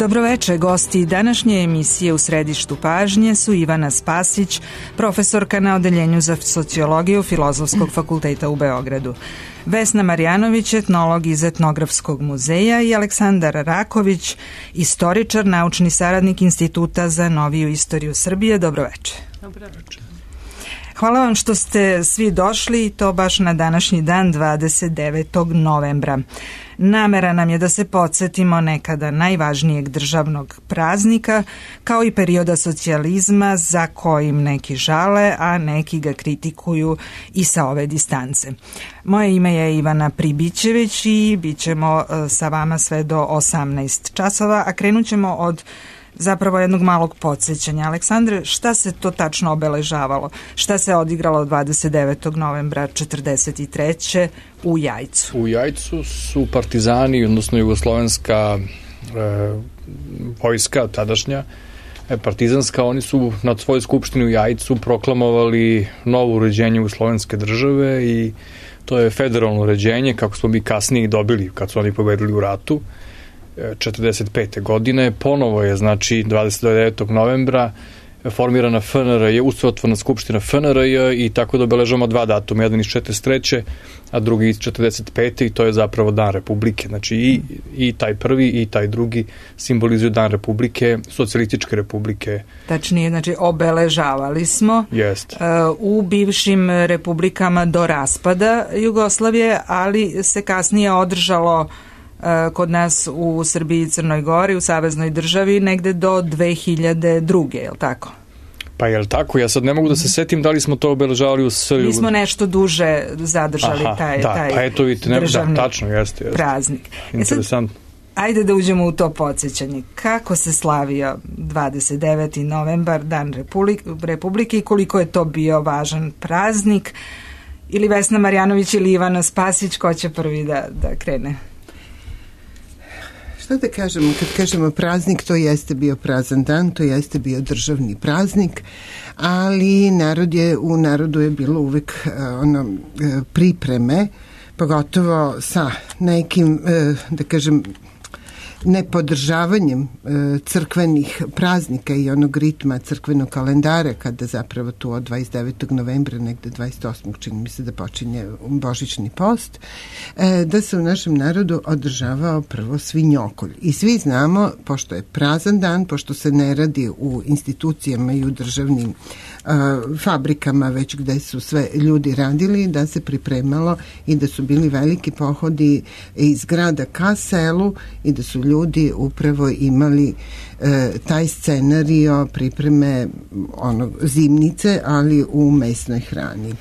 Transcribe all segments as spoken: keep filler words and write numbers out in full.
Dobroveče, gosti današnje emisije U središtu pažnje su Ivana Spasić, profesorka na Odeljenju za sociologiju Filozofskog fakulteta u Beogradu, Vesna Marjanović, etnolog iz Etnografskog muzeja i Aleksandar Raković, istoričar, naučni saradnik Instituta za noviju istoriju Srbije. Dobroveče. Dobroveče. Hvala vam što ste svi došli i to baš na današnji dan, dvadeset devetog novembra. Namera nam je da se podsjetimo nekada najvažnijeg državnog praznika, kao i perioda socijalizma za kojim neki žale, a neki ga kritikuju i sa ove distance. Moje ime je Ivana Pribićević i bit ćemo sa vama sve do osamnaest časova, a krenut ćemo od zapravo jednog malog podsjećanja. Aleksandre, šta se to tačno obeležavalo? Šta se odigralo dvadeset devetog novembra četrdeset treće u Jajcu? U Jajcu su partizani, odnosno jugoslovenska e, vojska tadašnja, e, partizanska, oni su na svojoj skupštini u Jajcu proklamovali novo uređenje jugoslovenske države i to je federalno uređenje, kako smo mi kasnije dobili kad su oni pobedili u ratu četrdeset pete godine. Ponovo je, znači, dvadeset devetog novembra formirana F N R J, ustavotvorna skupština F N R J i tako da obeležavamo dva datuma, jedan iz četrdeset treće a drugi iz četrdeset pete i to je zapravo Dan Republike. Znači i, i taj prvi i taj drugi simbolizuju Dan Republike, socijalističke republike. Tačnije, znači obeležavali smo Jest. uh, u bivšim republikama do raspada Jugoslavije, ali se kasnije održalo kod nas u Srbiji i Crnoj Gori, u saveznoj državi, negde do dve hiljade druge, je li tako? Pa je li tako? Ja sad ne mogu da se setim da li smo to obeležavali u Srbiji. Mi smo nešto duže zadržali Aha, taj, da, taj pa eto, vidite, ne, državni da, tačno, jeste, jeste. praznik. Interesant. E sad, ajde da uđemo u to podsjećanje. Kako se slavio dvadeset deveti novembar, Dan Republike, Republike i koliko je to bio važan praznik? Ili Vesna Marjanović ili Ivana Spasić, ko će prvi da, da krene? Šta da kažemo, kad kažemo praznik, to jeste bio prazan dan, to jeste bio državni praznik, ali narod je, u narodu je bilo uvek ono, pripreme, pogotovo sa nekim, da kažem, nepodržavanjem crkvenih praznika i onog ritma crkvenog kalendara, kada zapravo tu od dvadeset devetog novembra, negde dvadeset osmog čini mi se da počinje božićni post, da se u našem narodu održavao prvo svinjokolj. I svi znamo, pošto je prazan dan, pošto se ne radi u institucijama i u državnim fabrikama, već gde su sve ljudi radili, da se pripremalo i da su bili veliki pohodi iz grada ka selu i da su ljudi upravo imali e, taj scenario pripreme onog zimnice, ali u mesnoj hrani.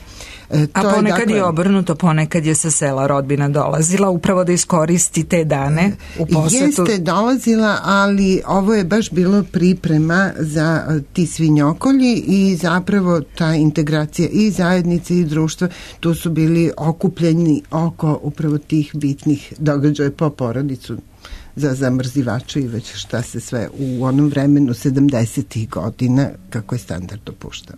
E, A ponekad je, dakle, je obrnuto, ponekad je sa sela rodbina dolazila upravo da iskoristi te dane u posetu. Jeste dolazila, ali ovo je baš bilo priprema za ti svinjokolji i zapravo ta integracija i zajednice i društva, tu su bili okupljeni oko upravo tih bitnih događaja po porodicu za zamrzivače i već šta se sve u onom vremenu sedamdesetih godina kako je standard dopuštao.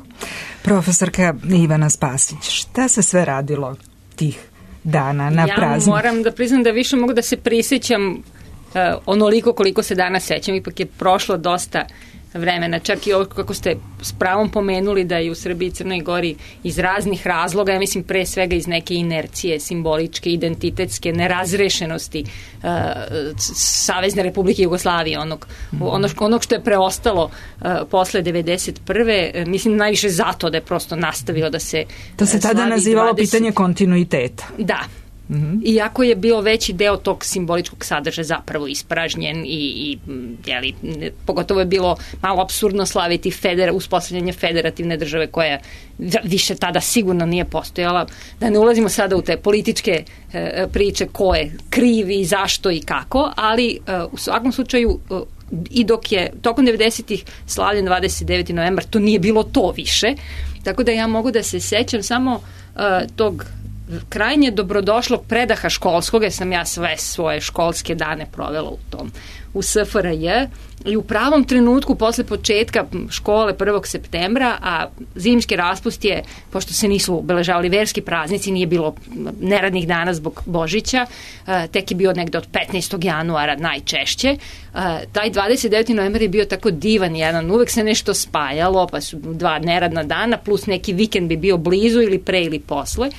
Profesorka Ivana Spasić, šta se sve radilo tih dana na ja praznik? Ja moram da priznam da više mogu da se prisjećam uh, onoliko koliko se danas sećam, ipak je prošlo dosta vremena, čak i ovo kako ste s pravom pomenuli da je u Srbiji i Crnoj Gori iz raznih razloga, ja mislim pre svega iz neke inercije, simboličke, identitetske, nerazrešenosti uh, Savezne Republike Jugoslavije, onog, mm. onog, onog što je preostalo uh, posle devedeset prve Mislim najviše zato da je prosto nastavilo da se To se tada nazivalo dvadeset pitanje kontinuiteta. Da. Mm-hmm. Iako je bio veći deo tog simboličkog sadržaja zapravo ispražnjen i, i jeli, pogotovo je bilo malo apsurdno slaviti federa, uspostavljanje federativne države koja više tada sigurno nije postojala. Da ne ulazimo sada u te političke e, priče ko je kriv i zašto i kako, ali e, u svakom slučaju e, i dok je tokom devedesetih slavljen dvadeset deveti novembar, to nije bilo to više. Tako da ja mogu da se sećam samo e, tog krajnje dobrodošlog predaha školskog, jer sam ja sve svoje školske dane provela u tom, u S F R J, i u pravom trenutku posle početka škole prvog septembra, a zimski raspust je, pošto se nisu obeležavali verski praznici, nije bilo neradnih dana zbog Božića, tek je bio negde od petnaestog januara najčešće. Taj dvadeset deveti novembar je bio tako divan jedan, uvek se nešto spajalo, pa su dva neradna dana, plus neki vikend bi bio blizu ili pre ili posle.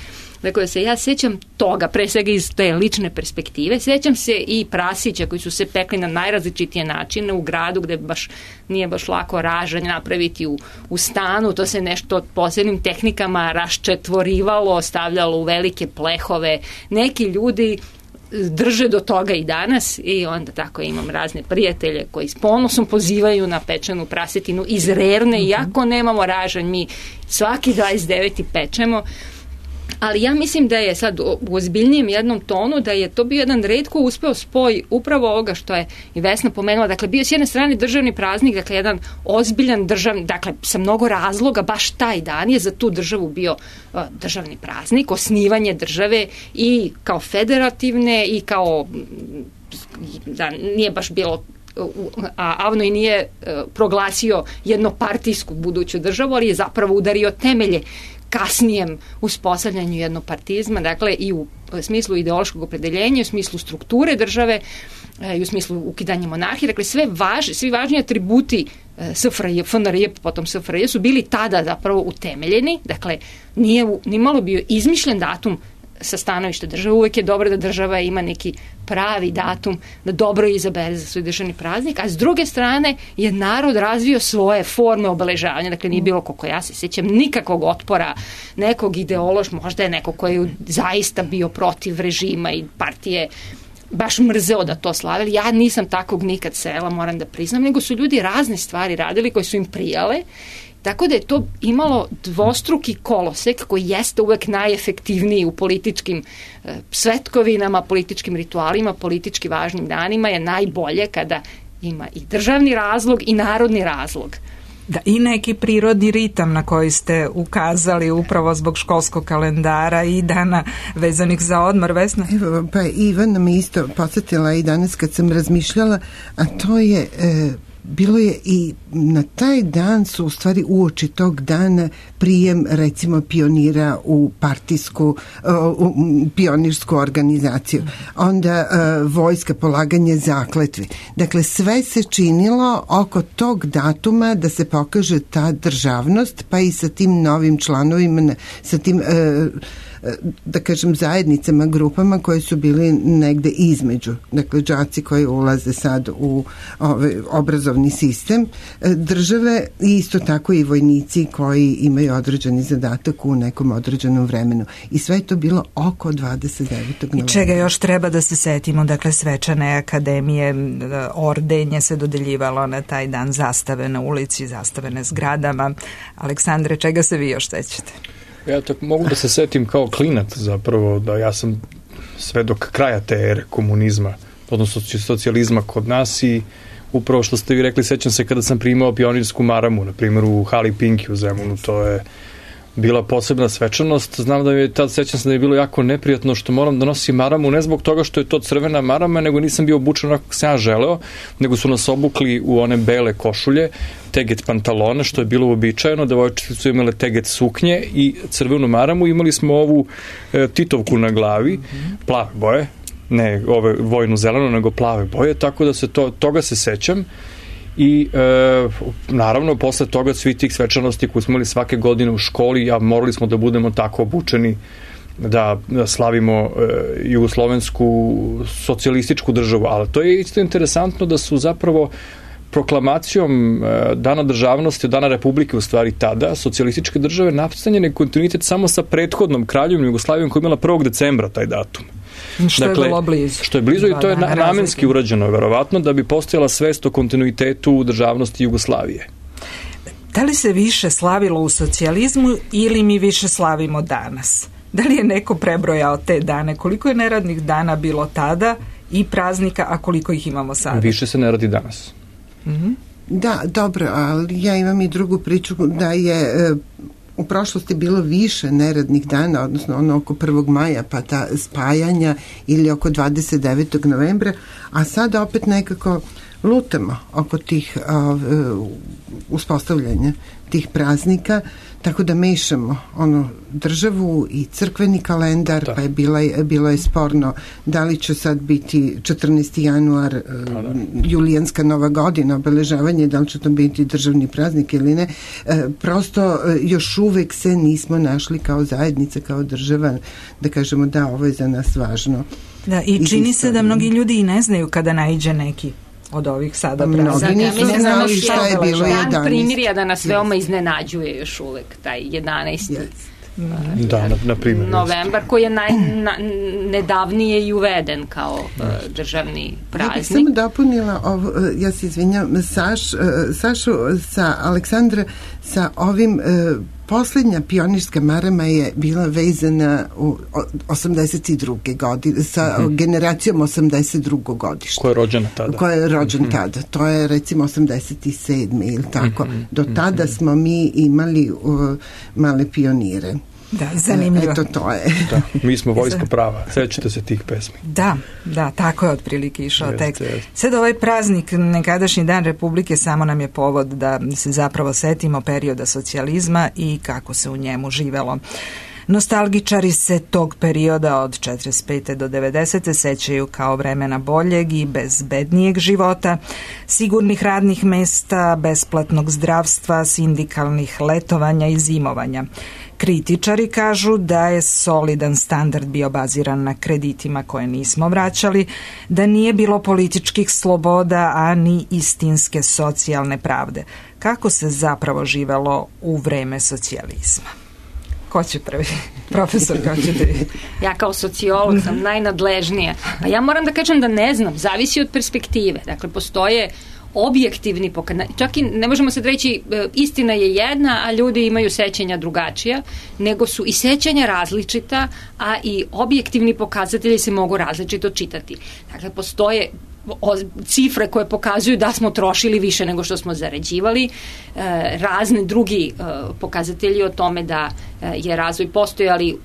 Dakle, da se ja sećam toga, pre svega iz te lične perspektive, sećam se i prasića koji su se pekli na najrazličitije načine u gradu gde baš nije baš lako ražanj napraviti u, u stanu, to se nešto posebnim tehnikama raščetvorivalo, stavljalo u velike plehove, neki ljudi drže do toga i danas, i onda tako imam razne prijatelje koji s ponosom pozivaju na pečenu prasetinu iz Rerne, iako nemamo ražanj, mi svaki dvadeset deveti pečemo. Ali ja mislim da je sad u ozbiljnijem jednom tonu da je to bio jedan retko uspeo spoj upravo ovoga što je i Vesna pomenula. Dakle, bio s jedne strane državni praznik, dakle, jedan ozbiljan državni, dakle, sa mnogo razloga, baš taj dan je za tu državu bio uh, državni praznik, osnivanje države i kao federativne i kao, da nije baš bilo, a Avno i nije uh, proglasio jednopartijsku buduću državu, ali je zapravo udario temelje kasnijem uspostavljanju jednopartizma, dakle i u smislu ideološkog opredeljenja, u smislu strukture države i u smislu ukidanja monarhije, dakle sve važni, svi važni atributi S F R J, F N R J, potom S F R J su bili tada zapravo utemeljeni, dakle nije ni malo bio izmišljen datum sa stanovišta države, uvek je dobro da država ima neki pravi datum da dobro izabere za svoj državni praznik, a s druge strane je narod razvio svoje forme obeležavanja, dakle nije bilo, koliko ja se sjećam, nikakvog otpora nekog ideološ, možda je neko koji je zaista bio protiv režima i partije baš mrzeo da to slavili. Ja nisam takvog nikad srela, moram da priznam, nego su ljudi razne stvari radili koje su im prijale. Tako da je to imalo dvostruki kolosek koji jeste uvek najefektivniji u političkim e, svetkovinama, političkim ritualima, politički važnim danima, je najbolje kada ima i državni razlog i narodni razlog. Da, i neki prirodni ritam na koji ste ukazali upravo zbog školskog kalendara i dana vezanih za odmor, Vesna? Evo, pa Ivana me isto podsjetila i danas kad sam razmišljala, a to je... E, bilo je i na taj dan su u stvari uoči tog dana prijem recimo pionira u partijsku u pionirsku organizaciju, onda uh, vojska, polaganje zakletve. Dakle, sve se činilo oko tog datuma da se pokaže ta državnost, pa i sa tim novim članovima, sa tim uh, da kažem zajednicama, grupama koje su bili negde između, dakle đaci koji ulaze sad u ovaj obrazovni sistem države i isto tako i vojnici koji imaju određeni zadatak u nekom određenom vremenu. I sve je to bilo oko dvadeset devetog novembra. I čega još treba da se setimo, dakle svečane akademije, ordenje se dodeljivalo na taj dan, zastave na ulici, zastave na zgradama. Aleksandre, čega se vi još sećate? Ja tako mogu da se setim kao klinac zapravo, da ja sam sve dok kraja te ere komunizma, odnosno socijalizma kod nas, i upravo što ste vi rekli, sećam se kada sam primao pionirsku maramu, na primjer u hali Pinki u Zemunu, to je bila posebna svečanost. Znam da je tad, sećam se da je bilo jako neprijatno što moram da nosim maramu, ne zbog toga što je to crvena marama, nego nisam bio obučen onako kako sam ja želeo, nego su nas obukli u one bele košulje, teget pantalone, što je bilo uobičajeno, devojčice su imale teget suknje i crvenu maramu, imali smo ovu e, titovku na glavi, plave boje, ne ove vojnu zeleno, nego plave boje, tako da se to, toga se sećam. I e, naravno posle toga svi tih svečanosti koje smo imali svake godine u školi, a morali smo da budemo tako obučeni da, da slavimo e, jugoslovensku socijalističku državu, ali to je isto interesantno da su zapravo proklamacijom e, Dana državnosti, Dana Republike u stvari tada, socijalističke države nastavljen kontinuitet samo sa prethodnom kraljevnom Jugoslavijom koja je imala prvog decembra taj datum. Što dakle, je bilo blizu. Što je blizu i to je na, namenski urađeno, verovatno, da bi postojala svest o kontinuitetu državnosti Jugoslavije. Da li se više slavilo u socijalizmu ili mi više slavimo danas? Da li je neko prebrojao te dane? Koliko je neradnih dana bilo tada i praznika, a koliko ih imamo sada? Više se ne radi danas. Mhm. Da, dobro, ali ja imam i drugu priču da je u prošlosti bilo više neradnih dana, odnosno ono oko prvog maja, pa ta spajanja ili oko dvadeset devetog novembra, a sad opet nekako lutamo oko tih uh, uspostavljanja tih praznika, tako da mešamo ono državu i crkveni kalendar, da. Pa je bila, bilo je sporno da li će sad biti četrnaesti januar, da, da. Julijanska nova godina, obeležavanje, da li će to biti državni praznik ili ne. E, prosto još uvek se nismo našli kao zajednica, kao država, da kažemo da ovo je za nas važno. Da, i čini se da mnogi ljudi i ne znaju kada naiđe neki od ovih sada praznika. Mnogi nisu znali šta je bilo jedanaesti. Dan primirja da nas veoma iznenađuje još uvek, taj jedanaesti Yes. Da, na, na primjer. Novembar, koji je naj, na, nedavnije i uveden kao uh, državni praznik. Ja bih samo dopunila ovo, ja se izvinjam, Saš, Sašu sa Aleksandra, sa ovim uh, poslednja pionirska marama je bila vezana u osamdeset druge godine, sa mm-hmm. generacijom osamdeset drugog godišta. Koja je rođena tada. Koja je rođen mm-hmm. tada. To je recimo osamdeset sedme ili tako. Mm-hmm. Do tada mm-hmm. smo mi imali uh, male pionire. Da, zanimljivo. Eto, to je. Da, mi smo vojska prava. Sećate se tih pesmi. Da, da, tako je otprilike išao jeste, tekst. Jeste. Sad ovaj praznik, nekadašnji dan Republike, samo nam je povod da se zapravo setimo perioda socijalizma i kako se u njemu živelo. Nostalgičari se tog perioda od četrdeset pete do devedesete sećaju kao vremena boljeg i bezbednijeg života, sigurnih radnih mesta, besplatnog zdravstva, sindikalnih letovanja i zimovanja. Kritičari kažu da je solidan standard bio baziran na kreditima koje nismo vraćali, da nije bilo političkih sloboda, a ni istinske socijalne pravde. Kako se zapravo živelo u vreme socijalizma? Ko će prvi? Profesor, ko će prvi? Ja kao sociolog sam najnadležnija. A ja moram da kažem da ne znam, zavisi od perspektive. Dakle, postoje objektivni pokazatelji, čak i ne možemo sad reći istina je jedna, a ljudi imaju sećanja drugačija, nego su i sećanja različita, a i objektivni pokazatelji se mogu različito čitati. Dakle, postoje cifre koje pokazuju da smo trošili više nego što smo zarađivali, razne drugi pokazatelji o tome da je razvoj postojali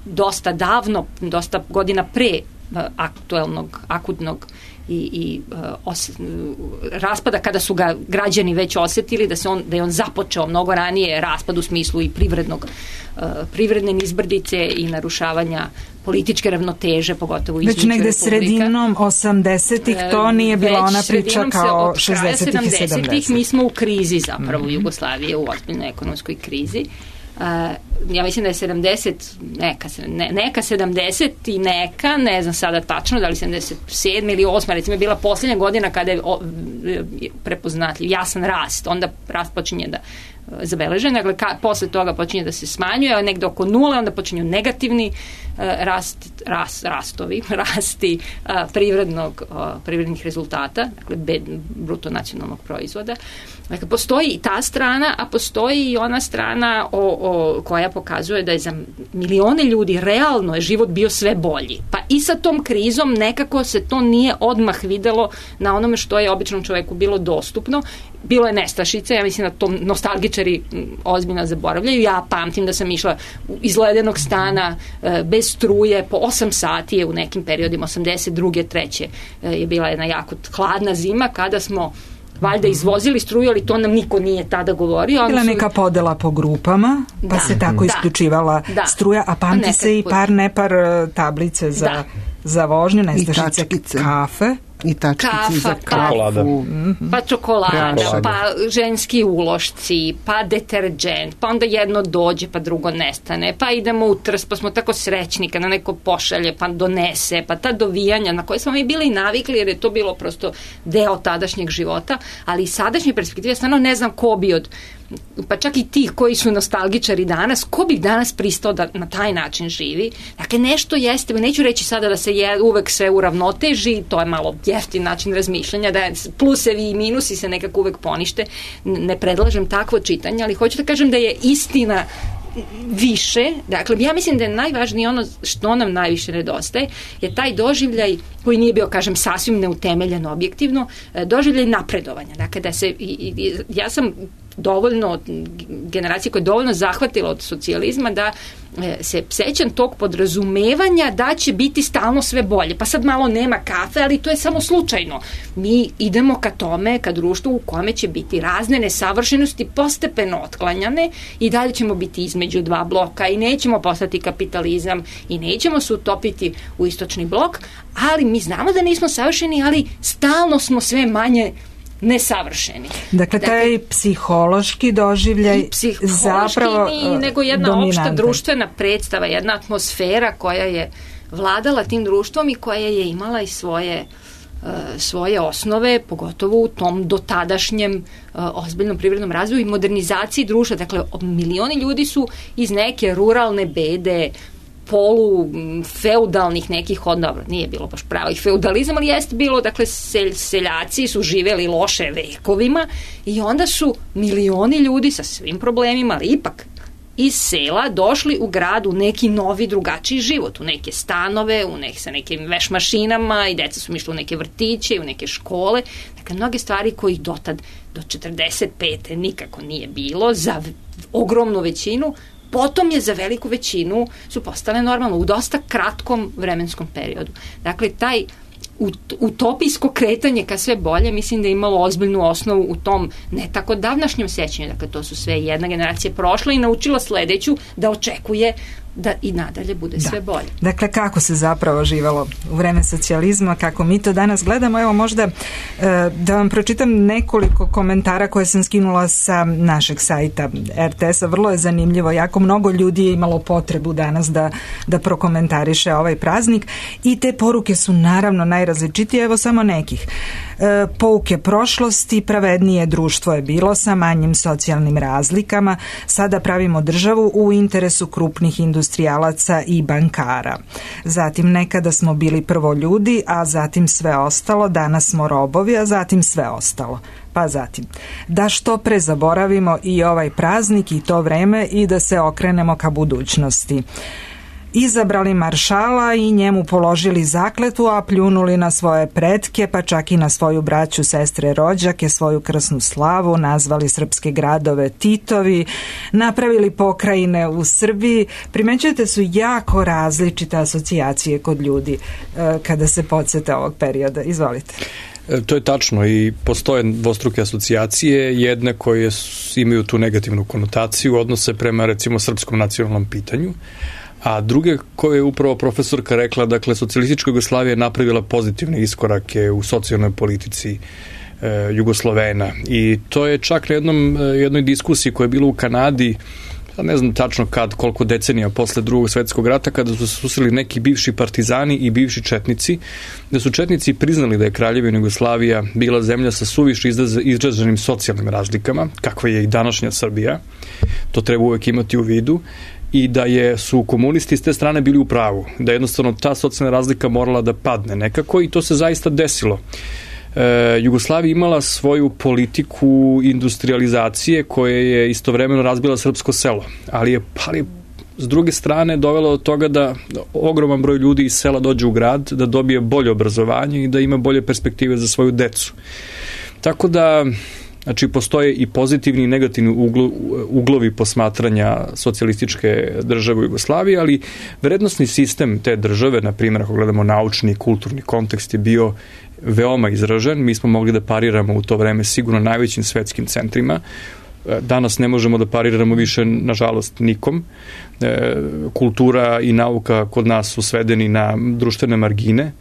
dosta davno, dosta godina pre aktuelnog, akutnog i, i uh, os, raspada, kada su ga građani već osetili da se on, da je on započeo mnogo ranije, raspad u smislu i privrednog uh, privredne nizbrdice i narušavanja političke ravnoteže, pogotovo između republika. Već negde sredinom osamdesetih to nije bila ona priča kao šezdesetih i sedamdesetih. Mi smo u krizi zapravo, mm-hmm. Jugoslavije u ozbiljnoj ekonomskoj krizi. Uh, ja mislim da je sedamdeset neka, ne, neka sedamdeset i neka, ne znam sada tačno da li sedamdeset sedme ili osme recimo je bila posljednja godina kada je o, prepoznatljiv jasan rast, onda rast počinje da zabeležen, dakle ka, posle toga počinje da se smanjuje, a negde oko nule onda počinju negativni uh, rast, rast, rastovi, rasti uh, privrednog, uh, privrednih rezultata, dakle bed, bruto nacionalnog proizvoda. Dakle, postoji i ta strana, a postoji i ona strana o, o, koja pokazuje da je za milione ljudi realno je život bio sve bolji. Pa i sa tom krizom nekako se to nije odmah videlo na onome što je običnom čoveku bilo dostupno. Bilo je nestašice, ja mislim da to nostalgičari ozbiljno zaboravljaju. Ja pamtim da sam išla iz ledenog stana bez struje po osam sati je u nekim periodima osamdeset druge treće je bila jedna jako hladna zima kada smo valjda izvozili struju, ali to nam niko nije tada govorio. Bila neka podela po grupama, pa da, se tako da, isključivala da, struja, a pamti a se i par nepar tablice za, da. za vožnju, nestašice, kafe. I tačkice kafa, za kafu. Pa čokolada, Prašada. Pa ženski ulošci, pa deterđent, pa onda jedno dođe, pa drugo nestane, pa idemo u trs, pa smo tako srećni kada neko pošalje, pa donese, pa ta dovijanja na koje smo mi bili navikli, jer je to bilo prosto deo tadašnjeg života, ali i sadašnje perspektive, stvarno ne znam ko bi od, pa čak i tih koji su nostalgičari danas, ko bi danas pristao da na taj način živi. Dakle, nešto jeste, neću reći sada da se je uvek sve uravnoteži, to je malo jeftin način razmišljanja, da plusevi i minusi se nekako uvek ponište. Ne predlažem takvo čitanje, ali hoću da kažem da je istina više, dakle, ja mislim da je najvažnije ono što nam najviše nedostaje, je taj doživljaj koji nije bio, kažem, sasvim neutemeljen objektivno, doživljaj napredovanja. Dakle, da se, i, i, ja sam dovoljno, generacija koja je dovoljno zahvatila od socijalizma da se sećam tog podrazumevanja da će biti stalno sve bolje. Pa sad malo nema kafe, ali to je samo slučajno. Mi idemo ka tome, ka društvu u kome će biti razne nesavršenosti postepeno otklanjane i dalje ćemo biti između dva bloka i nećemo postati kapitalizam i nećemo se utopiti u istočni blok, ali mi znamo da nismo savršeni, ali stalno smo sve manje nesavršeni. Dakle, taj dakle, psihološki doživljaj zapravo ni, nego jedna dominanta. Opšta društvena predstava, jedna atmosfera koja je vladala tim društvom i koja je imala i svoje svoje osnove, pogotovo u tom dotadašnjem uh, ozbiljnom privrednom razvoju i modernizaciji društva. Dakle, milioni ljudi su iz neke ruralne bede, polu feudalnih nekih odnova, nije bilo baš pravih feudalizam, ali jeste bilo, dakle, sel, seljaci su živeli loše vekovima i onda su milioni ljudi sa svim problemima, ali ipak iz sela došli u grad u neki novi, drugačiji život, u neke stanove, u nek, sa nekim veš mašinama i deca su išli u neke vrtiće, u neke škole. Dakle, mnoge stvari kojih dotad do četrdeset pete nikako nije bilo za ogromnu većinu, potom je za veliku većinu su postale normalno u dosta kratkom vremenskom periodu. Dakle, taj utopijsko kretanje ka sve bolje, mislim da je imalo ozbiljnu osnovu u tom ne tako davnašnjem sećanju. Dakle, to su sve jedna generacija prošla i naučila sledeću da očekuje da i nadalje bude da. sve bolje. Dakle, kako se zapravo živalo u vreme socijalizma, kako mi to danas gledamo, evo možda da vam pročitam nekoliko komentara koje sam skinula sa našeg sajta er te es-a. Vrlo je zanimljivo, jako mnogo ljudi je imalo potrebu danas da, da prokomentariše ovaj praznik i te poruke su naravno najrazličitije, evo samo nekih. E, pouke prošlosti, pravednije društvo je bilo sa manjim socijalnim razlikama, sada pravimo državu u interesu krupnih industrijalaca i bankara. Zatim, nekada smo bili prvo ljudi, a zatim sve ostalo, danas smo robovi, a zatim sve ostalo. Pa zatim, da što pre zaboravimo i ovaj praznik i to vreme i da se okrenemo ka budućnosti. Izabrali maršala i njemu položili zakletvu, a pljunuli na svoje pretke, pa čak i na svoju braću, sestre, rođake, svoju krsnu slavu, nazvali srpske gradove Titovi, napravili pokrajine u Srbiji. Primećujete, su jako različite asocijacije kod ljudi e, kada se podsete ovog perioda. Izvolite. To je tačno i postoje dvostruke asocijacije, jedne koje imaju tu negativnu konotaciju, odnose prema recimo srpskom nacionalnom pitanju, a druge koje je upravo profesorka rekla, dakle, socijalistička Jugoslavija je napravila pozitivne iskorake u socijalnoj politici e, Jugoslovena i to je čak na jednom, jednoj diskusiji koja je bila u Kanadi, ne znam tačno kad, koliko decenija posle drugog svetskog rata, kada su se susreli neki bivši partizani i bivši četnici, da su četnici priznali da je Kraljevina Jugoslavija bila zemlja sa suviše izraženim socijalnim razlikama, kakva je i današnja Srbija, to treba uvek imati u vidu, i da je, su komunisti s te strane bili u pravu, da jednostavno ta socijalna razlika morala da padne nekako i to se zaista desilo. E, Jugoslavija imala svoju politiku industrializacije koja je istovremeno razbila srpsko selo, ali je, ali s druge strane dovelo do toga da ogroman broj ljudi iz sela dođe u grad, da dobije bolje obrazovanje i da ima bolje perspektive za svoju decu. Tako da, znači, postoje i pozitivni i negativni uglo, uglovi posmatranja socijalističke države u Jugoslaviji, ali vrednostni sistem te države, na primjer, ako gledamo naučni i kulturni kontekst, je bio veoma izražen. Mi smo mogli da pariramo u to vreme sigurno najvećim svetskim centrima. Danas ne možemo da pariramo više, nažalost, nikom. E, kultura i nauka kod nas su svedeni na društvene margine.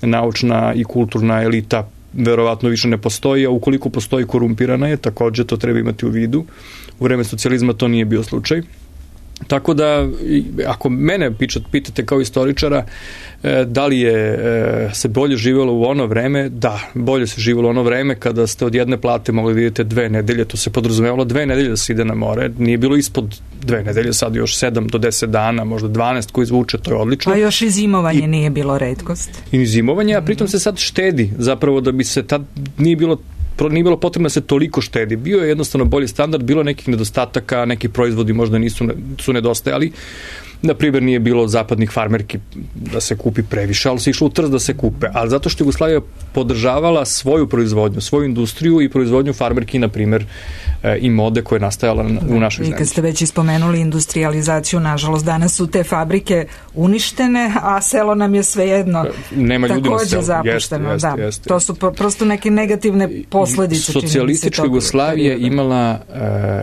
Naučna i kulturna elita verovatno više ne postoji, a ukoliko postoji, korumpirana je, takođe to treba imati u vidu. U vreme socijalizma to nije bio slučaj. Tako da, ako mene pitate kao istoričara, da li je se bolje živjelo u ono vreme, da, bolje se živjelo u ono vreme kada ste od jedne plate mogli da idete dve nedelje, to se podrazumevalo dve nedelje da se ide na more, nije bilo ispod dve nedelje, sad još sedam do deset dana, možda dvanaest koji izvuče, to je odlično. A još i zimovanje I, nije bilo retkost. I zimovanje, a pritom se sad štedi, zapravo da bi se tad nije bilo nije bilo potrebno da se toliko štedi. Bio je jednostavno bolji standard, bilo nekih nedostataka, neki proizvodi možda nisu su nedostajali. Na primjer, nije bilo zapadnih farmerki da se kupi previše, ali se išlo u trst da se kupe. Ali zato što Jugoslavija podržavala svoju proizvodnju, svoju industriju i proizvodnju farmerki, na primjer, i mode koja je nastajala u našoj zemlji. I kad ste već ispomenuli industrializaciju, nažalost, danas su te fabrike uništene, a selo nam je svejedno Nema ljudi na selu. Zapušteno. Jeste, da. jeste. To su prosto neke negativne posledice. Socijalistička Jugoslavija je imala, uh,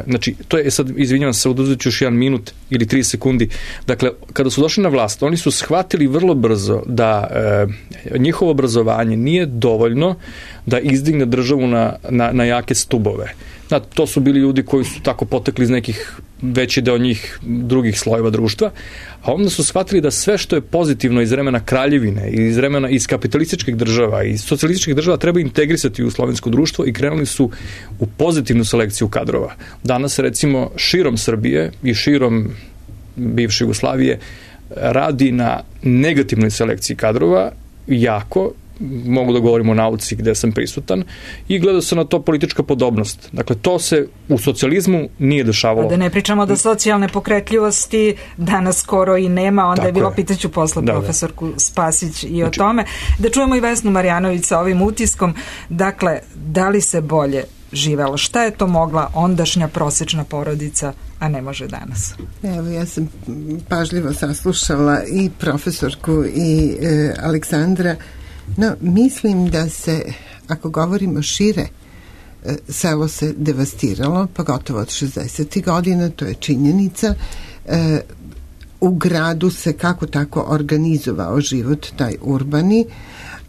znači, to je, sad, izvinjavam se, oduzet ću još jedan minut ili tri sekundi. Dakle, kada su došli na vlast, oni su shvatili vrlo brzo da uh, njihovo obrazovanje nije dovoljno da izdigne državu na, na, na jake stubove. Znači, to su bili ljudi koji su tako potekli iz nekih veći deo njih drugih slojeva društva, a onda su shvatili da sve što je pozitivno iz vremena kraljevine, iz vremena iz kapitalističkih država i socijalističkih država treba integrisati u slovensko društvo i krenuli su u pozitivnu selekciju kadrova. Danas, recimo, širom Srbije i širom bivše Jugoslavije radi na negativnoj selekciji kadrova jako, mogu da govorimo o nauci gde sam prisutan, i gleda se na to politička podobnost. Dakle, to se u socijalizmu nije dešavalo. Da ne pričamo da socijalne pokretljivosti danas skoro i nema, onda Tako je bilo, je. pitaću posle da, profesorku da. Spasić i znači, o tome. Da čujemo i Vesnu Marjanović sa ovim utiskom. Dakle, da li se bolje živelo? Šta je to mogla ondašnja prosečna porodica, a ne može danas? Evo, ja sam pažljivo saslušala i profesorku i e, Aleksandra. No, mislim da se, ako govorimo šire, selo se devastiralo, pogotovo od šezdesetih godina, to je činjenica. U gradu se kako tako organizovao život, taj urbani,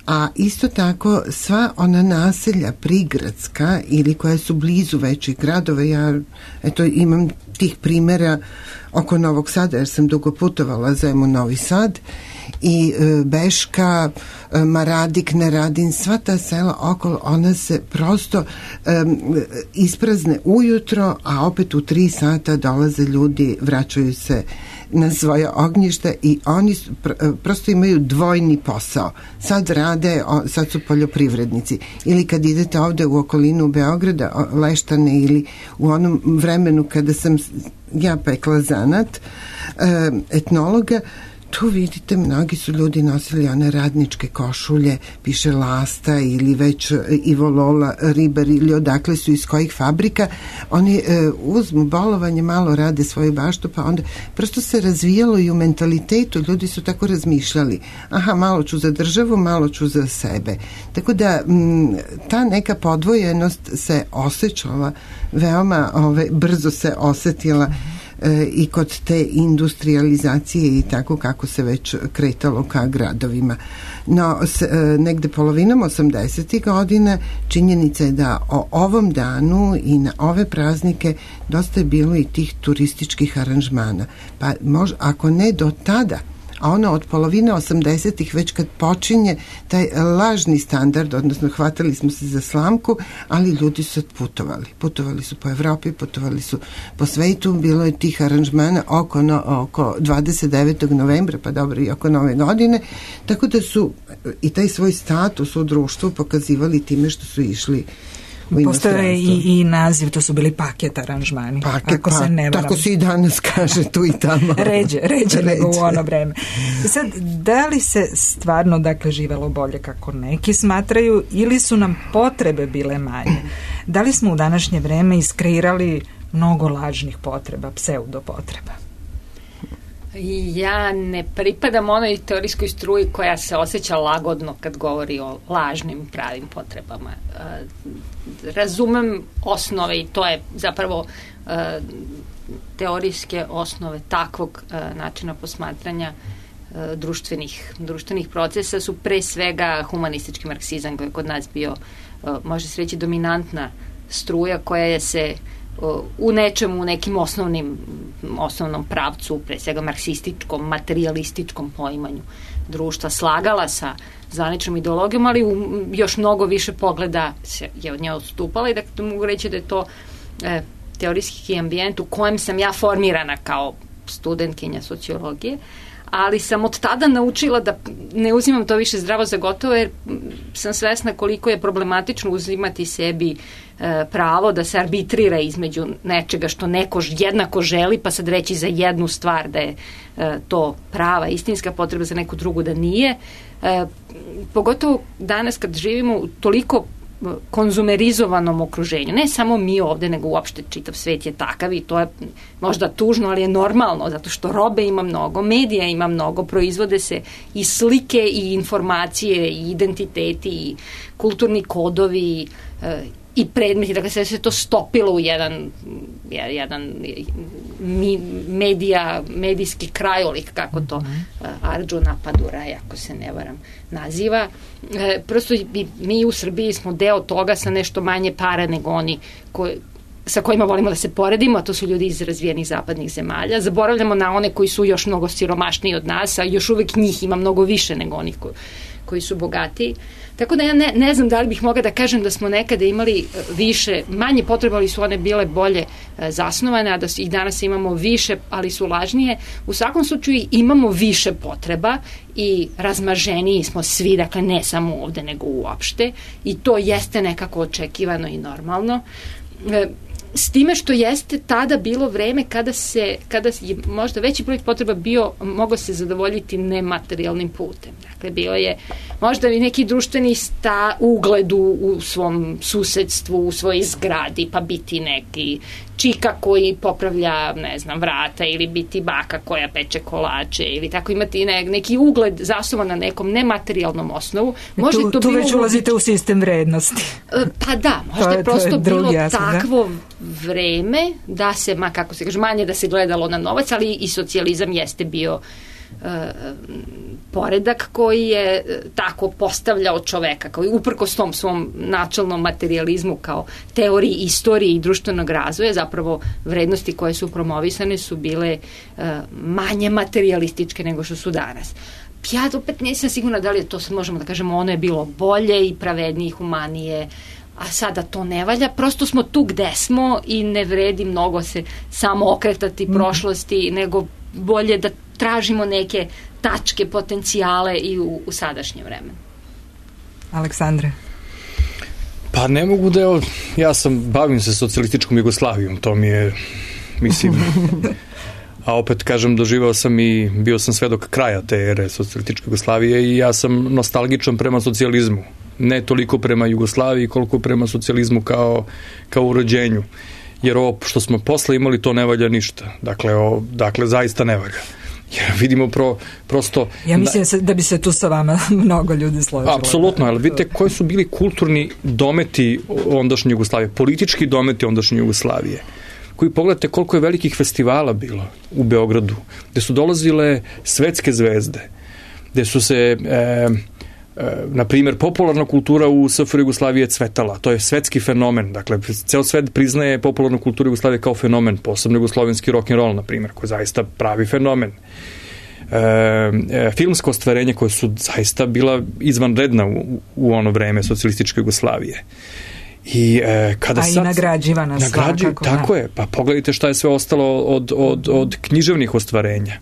a isto tako sva ona naselja prigradska ili koja su blizu većih gradova, ja eto imam tih primjera oko Novog Sada, jer sam dugo putovala Zemun, Novi Sad, i e, Beška, e, Maradik, Neradin, sva ta sela okolo, ona se prosto e, isprazne ujutro, a opet u tri sata dolaze ljudi, vraćaju se na svoje ognjište i oni pr- prosto imaju dvojni posao. Sad rade, o, sad su poljoprivrednici. Ili kad idete ovde u okolinu Beograda, Leštane, ili u onom vremenu kada sam ja pekla zanat e, etnologa, tu vidite, mnogi su ljudi nosili one radničke košulje, piše Lasta ili već Ivo Lola, Ribar ili odakle su, iz kojih fabrika. Oni e, uzmu bolovanje, malo rade svoju baštu, pa onda prosto se razvijalo i u mentalitetu, ljudi su tako razmišljali. Aha, malo ću za državu, malo ću za sebe. Tako da m, ta neka podvojenost se osjećala veoma, ove, brzo se osetila i kod te industrializacije i tako kako se već kretalo ka gradovima. No, s, negde polovinom osamdesetih godina činjenica je da o ovom danu i na ove praznike dosta je bilo i tih turističkih aranžmana. Pa možda, ako ne do tada, a ono od polovine osamdesetih već kad počinje taj lažni standard, odnosno hvatali smo se za slamku, ali ljudi su putovali. Putovali su po Evropi, putovali su po svetu, bilo je tih aranžmana oko, no, oko dvadeset devetog novembra, pa dobro i oko nove godine, tako da su i taj svoj status u društvu pokazivali time što su išli. Postoje i, i naziv, to su bili paket aranžmani. Paket, ako pa, se ne varam. Tako se i danas kaže tu i tamo. ređe, ređe nego u ono vreme. Sad, da li se stvarno, dakle, živelo bolje kako neki smatraju, ili su nam potrebe bile manje? Da li smo u današnje vreme iskreirali mnogo lažnih potreba, pseudopotreba? Ja ne pripadam onoj teorijskoj struji koja se osjeća lagodno kad govori o lažnim pravim potrebama. Razumem osnove i to je zapravo teorijske osnove takvog načina posmatranja društvenih, društvenih procesa su pre svega humanistički marksizam koji je kod nas bio, može se reći, dominantna struja koja je se u nečemu, u nekim osnovnim osnovnom pravcu, pre svega marksističkom, materialističkom poimanju društva slagala sa zvaničnom ideologijom, ali u još mnogo više pogleda se je od nje odstupala i da mogu reći da je to e, teorijski ambijent u kojem sam ja formirana kao studentkinja sociologije, ali sam od tada naučila da ne uzimam to više zdravo za gotovo, jer sam svesna koliko je problematično uzimati sebi e, pravo da se arbitrira između nečega što neko jednako želi, pa sad reći za jednu stvar da je e, to prava, istinska potreba, za neku drugu da nije. E, pogotovo danas kad živimo u toliko konzumerizovanom okruženju. Ne samo mi ovde, nego uopšte čitav svet je takav i to je možda tužno, ali je normalno, zato što robe ima mnogo, medija ima mnogo, proizvode se i slike i informacije i identiteti i kulturni kodovi i predmeti, dakle sve se to stopilo u jedan, jedan medija, medijski krajolik, kako to Arjuna Paduraj, ako se ne varam, naziva. E, prosto mi u Srbiji smo deo toga sa nešto manje para nego oni koji, sa kojima volimo da se poredimo, a to su ljudi iz razvijenih zapadnih zemalja. Zaboravljamo na one koji su još mnogo siromašniji od nas, a još uvek njih ima mnogo više nego onih koji, koji su bogatiji. Tako da ja ne, ne znam da li bih mogla da kažem da smo nekada imali više, manje potrebe, ali su one bile bolje e, zasnovane, a da i danas imamo više, ali su lažnije. U svakom slučaju imamo više potreba i razmaženiji smo svi, dakle ne samo ovde, nego uopšte, i to jeste nekako očekivano i normalno. E, S time što jeste tada bilo vreme kada se, kada je možda veći broj potreba bio, mogao se zadovoljiti nematerijalnim putem. Dakle, bio je možda i neki društveni sta, ugled u, u svom susedstvu, u svojoj zgradi, pa biti neki čika koji popravlja, ne znam, vrata, ili biti baka koja peče kolače, ili tako imati ne, neki ugled zasnovan na nekom nematerijalnom osnovu. Može tu to tu bilo već ulazite u sistem vrednosti. Pa da, možda to je, je prosto to je bilo jasno, takvo da? vreme da se, ma kako se kaže, manje da se gledalo na novac, ali i socijalizam jeste bio uh, poredak koji je tako postavljao čoveka, kao i uprkos tom svom načelnom materializmu kao teoriji istorije i društvenog razvoja, zapravo vrednosti koje su promovisane su bile uh, manje materialističke nego što su danas. Ja opet nisam sigurna da li je to, sad možemo da kažemo, ono je bilo bolje i pravednije i humanije, a sada to ne valja, prosto smo tu gde smo i ne vredi mnogo se samo okretati mm. prošlosti, nego bolje da tražimo neke tačke, potencijale i u, u sadašnjem vremenu. Aleksandre? Pa ne mogu da, evo, ja sam, bavim se socijalističkom Jugoslavijom, to mi je, mislim, a opet kažem, doživao sam i bio sam svedok kraja te ere socijalističke Jugoslavije i ja sam nostalgičan prema socijalizmu. Ne toliko prema Jugoslaviji koliko prema socijalizmu kao, kao urođenju. Jer ovo što smo posle imali, to ne valja ništa. Dakle, o, dakle zaista ne valja. Jer vidimo pro, prosto... Ja mislim na, da bi se tu sa vama mnogo ljudi složilo. Apsolutno, ali vidite koji su bili kulturni dometi ondašnje Jugoslavije, politički dometi ondašnje Jugoslavije, koji pogledate koliko je velikih festivala bilo u Beogradu, gde su dolazile svetske zvezde, gde su se... E, na primjer, popularna kultura u S F R Jugoslavije je cvetala. To je svetski fenomen. Dakle, ceo svet priznaje popularnu kulturu Jugoslavije kao fenomen, posebno jugoslovenski rock'n'roll, na primjer, koji je zaista pravi fenomen. E, e, filmsko ostvarenje koje su zaista bila izvanredna u, u ono vreme socijalističke Jugoslavije. I, e, kada A sad, i nagrađivana nagrađi, svakako. Tako da. je. Pa pogledajte šta je sve ostalo od, od, od književnih ostvarenja.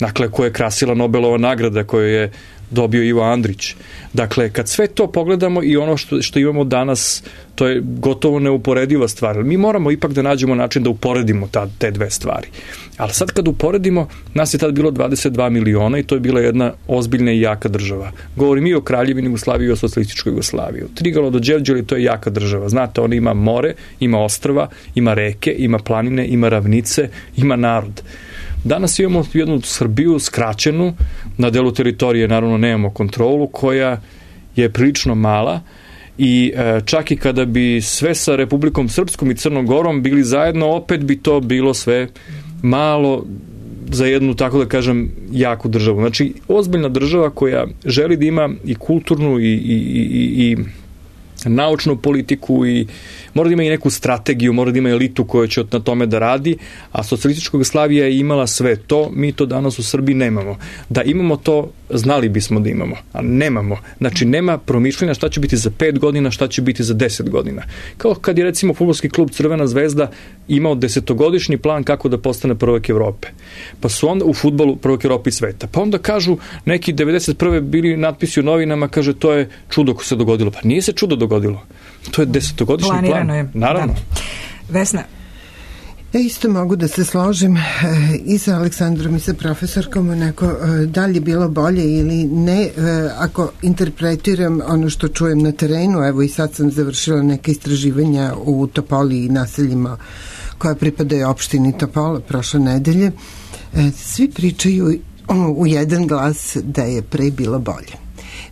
Dakle, koje je krasila Nobelova nagrada koju je dobio Ivo Andrić. Dakle, kad sve to pogledamo i ono što, što imamo danas, to je gotovo neuporediva stvar. Mi moramo ipak da nađemo način da uporedimo ta, te dve stvari. Ali sad kad uporedimo, nas je tad bilo dvadeset dva miliona i to je bila jedna ozbiljna i jaka država. Govorim i o Kraljevini Jugoslaviji i o socijalističkoj Jugoslaviji. Od Trigala do Đevđeli to je jaka država. Znate, ona ima more, ima ostrva, ima reke, ima planine, ima ravnice, ima narod. Danas imamo jednu Srbiju skraćenu, na delu teritorije naravno nemamo kontrolu, koja je prilično mala i e, čak i kada bi sve sa Republikom Srpskom i Crnom Gorom bili zajedno, opet bi to bilo sve malo za jednu, tako da kažem, jaku državu. Znači, ozbiljna država koja želi da ima i kulturnu i, i, i, i naučnu politiku i mora da ima i neku strategiju, mora da ima elitu koja će na tome da radi, a socijalistička Jugoslavija je imala sve to, mi to danas u Srbiji nemamo. Da imamo to, znali bismo da imamo, a nemamo. Znači, nema promišljanja šta će biti za pet godina, šta će biti za deset godina. Kao kad je recimo fudbalski klub Crvena zvezda imao desetogodišnji plan kako da postane prvak Evrope. Pa su onda u fudbalu prvak Evrope i sveta. Pa onda kažu neki devedeset prve bili natpisi u novinama, kaže to je čudo ko se dogodilo. Pa nije se čudo dogodilo. To je desetogodišnji plan. Planirano je. Naravno. Da. Vesna. Ja isto mogu da se složim e, i sa Aleksandrom i sa profesorkom onako, e, da li je bilo bolje ili ne, e, ako interpretiram ono što čujem na terenu, evo i sad sam završila neke istraživanja u Topoli i naseljima koja pripadaju opštini Topola prošle nedelje, e, svi pričaju u jedan glas da je pre bilo bolje,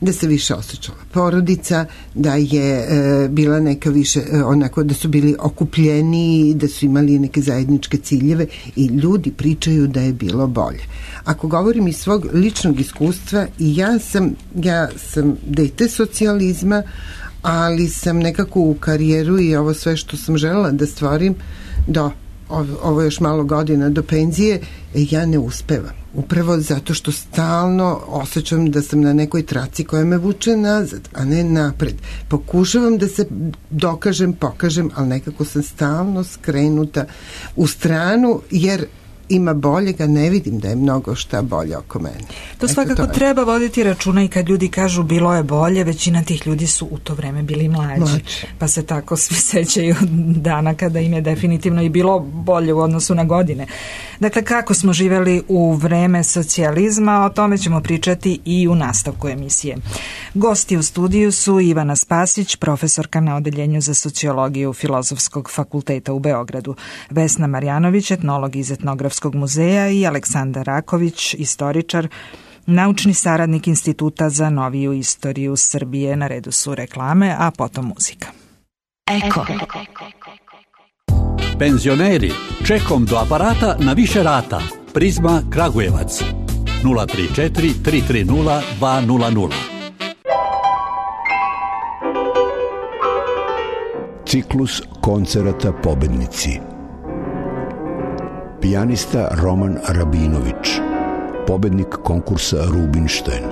da se više osjećala porodica, da je e, bila neka više, e, onako da su bili okupljeniji, da su imali neke zajedničke ciljeve i ljudi pričaju da je bilo bolje. Ako govorim iz svog ličnog iskustva, i ja sam, ja sam dete socijalizma, ali sam nekako u karijeru i ovo sve što sam želela da stvorim do ovo još malo godina do penzije, ja ne uspevam. Upravo zato što stalno osjećam da sam na nekoj traci koja me vuče nazad, a ne napred. Pokušavam da se dokažem, pokažem, ali nekako sam stalno skrenuta u stranu, jer ima boljega, ne vidim da je mnogo šta bolje oko mene. To svakako to treba voditi računa i kad ljudi kažu bilo je bolje, većina tih ljudi su u to vreme bili mlađi. Mlađi. Pa se tako svi sećaju dana kada im je definitivno i bilo bolje u odnosu na godine. Dakle, kako smo živeli u vreme socijalizma, o tome ćemo pričati i u nastavku emisije. Gosti u studiju su Ivana Spasić, profesorka na Odeljenju za sociologiju Filozofskog fakulteta u Beogradu, Vesna Marjanović, etnolog iz Etnografskog muzeja i Aleksandar Raković, istoričar, naučni saradnik Instituta za noviju istoriju Srbije. Na redu su reklame, a potom muzika. Eko. Penzioneri, čekom do aparata na više rata. Prizma Kragujevac. nula tri četiri tri tri nula dva nula nula. Ciklus koncerata Pobednici. Pijanista Roman Rabinović, pobednik konkursa Rubinštajn.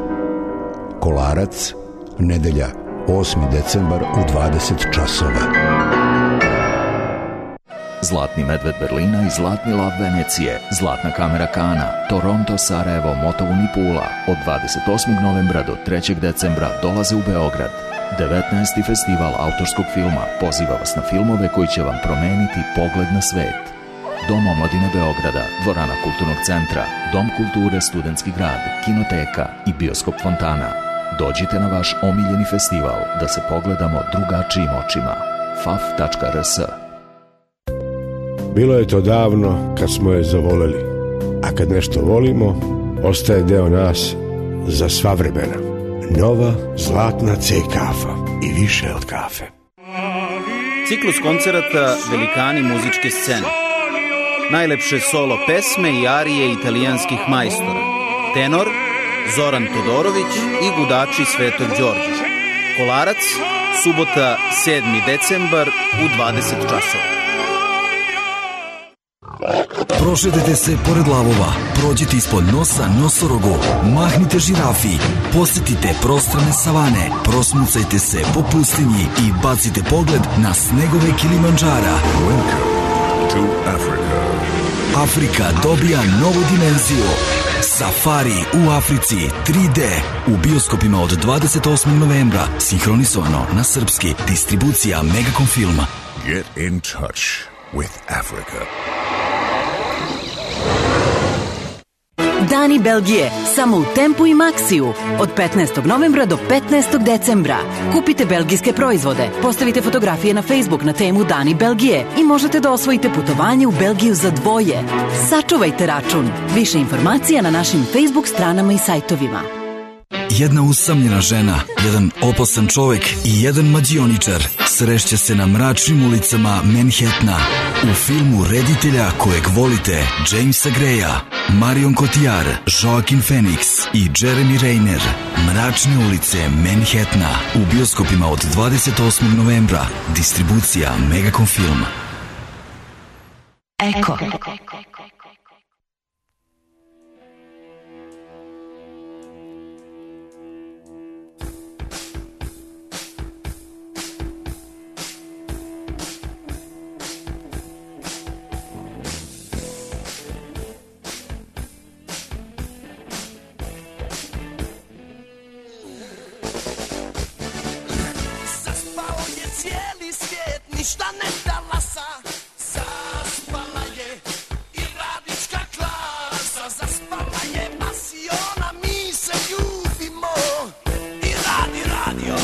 Kolarac, nedelja, osmi decembar u dvadeset časova. Zlatni medved Berlina i Zlatni lav Venecije, Zlatna kamera Kana, Toronto, Sarajevo, Motovun i Pula od dvadeset osmog novembra do trećeg decembra dolaze u Beograd. devetnaesti festival autorskog filma poziva vas na filmove koji će vam promeniti pogled na svet. Dom omladine Beograda, Dvorana kulturnog centra, Dom kulture Studentski grad, Kinoteka i Bioskop Fontana. Dođite na vaš omiljeni festival da se pogledamo drugačijim očima. f a f tačka r s. Bilo je to davno kad smo je zavoleli, a kad nešto volimo, ostaje deo nas za sva vremena. Nova zlatna C kafa i više od kafe. Ciklus koncerata Velikani muzičke scene. Najlepše solo pesme i arije italijanskih majstora. Tenor Zoran Todorović i gudači Svetog Đorđa. Kolarac, subota sedmi decembar u dvadeset časova. Prošetajte se pored lavova, prođite ispod nosa nosorogu, mahnite žirafi, posjetite prostrane savane, prosmucajte se po pustinji i bacite pogled na snegove Kilimandžara. Welcome to Africa. Afrika dobija novu dimenziju. Safari u Africi tri D u bioskopima od dvadeset osmog novembra, sinhronizovano na srpski, distribucija Megacom filma. Get in touch with Africa. Dani Belgije, samo u Tempu i Maxiju, od petnaestog novembra do petnaestog decembra. Kupite belgijske proizvode, postavite fotografije na Facebook na temu Dani Belgije i možete da osvojite putovanje u Belgiju za dvoje. Sačuvajte račun. Više informacija na našim Facebook stranama i sajtovima. jedna usamljena žena, jedan opasan čovek i jedan mađioničar srešće se na mračnim ulicama Manhattana. U filmu reditelja kojeg volite Jamesa Greya, Marion Cotillard, Joaquin Phoenix i Jeremy Renner. Mračne ulice Manhattana u bioskopima od dvadeset osmog novembra. Distribucija Megacom Film. Eko. Ništa ne talasa, zaspala je i radnička klasa, zaspala je pasiona, mi se ljubimo i radi radio.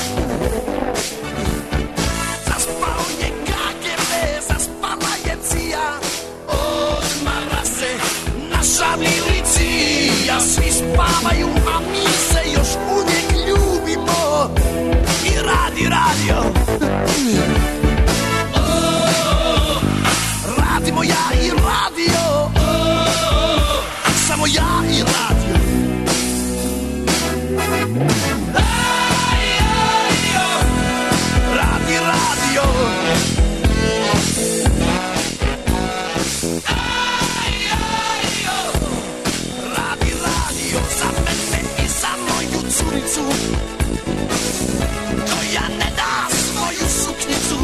Zaspao je K G B, zaspala je C I A, odmara se naša milicija, svi spavaju, a mi se još uvijek ljubimo i radi radio. Radimo ja i radio, oh, samo ja i radio. Aj, aj, oh, radi radio. Aj, aj, oh, radi radio za mene i za moju curicu, koja ne da svoju suknicu.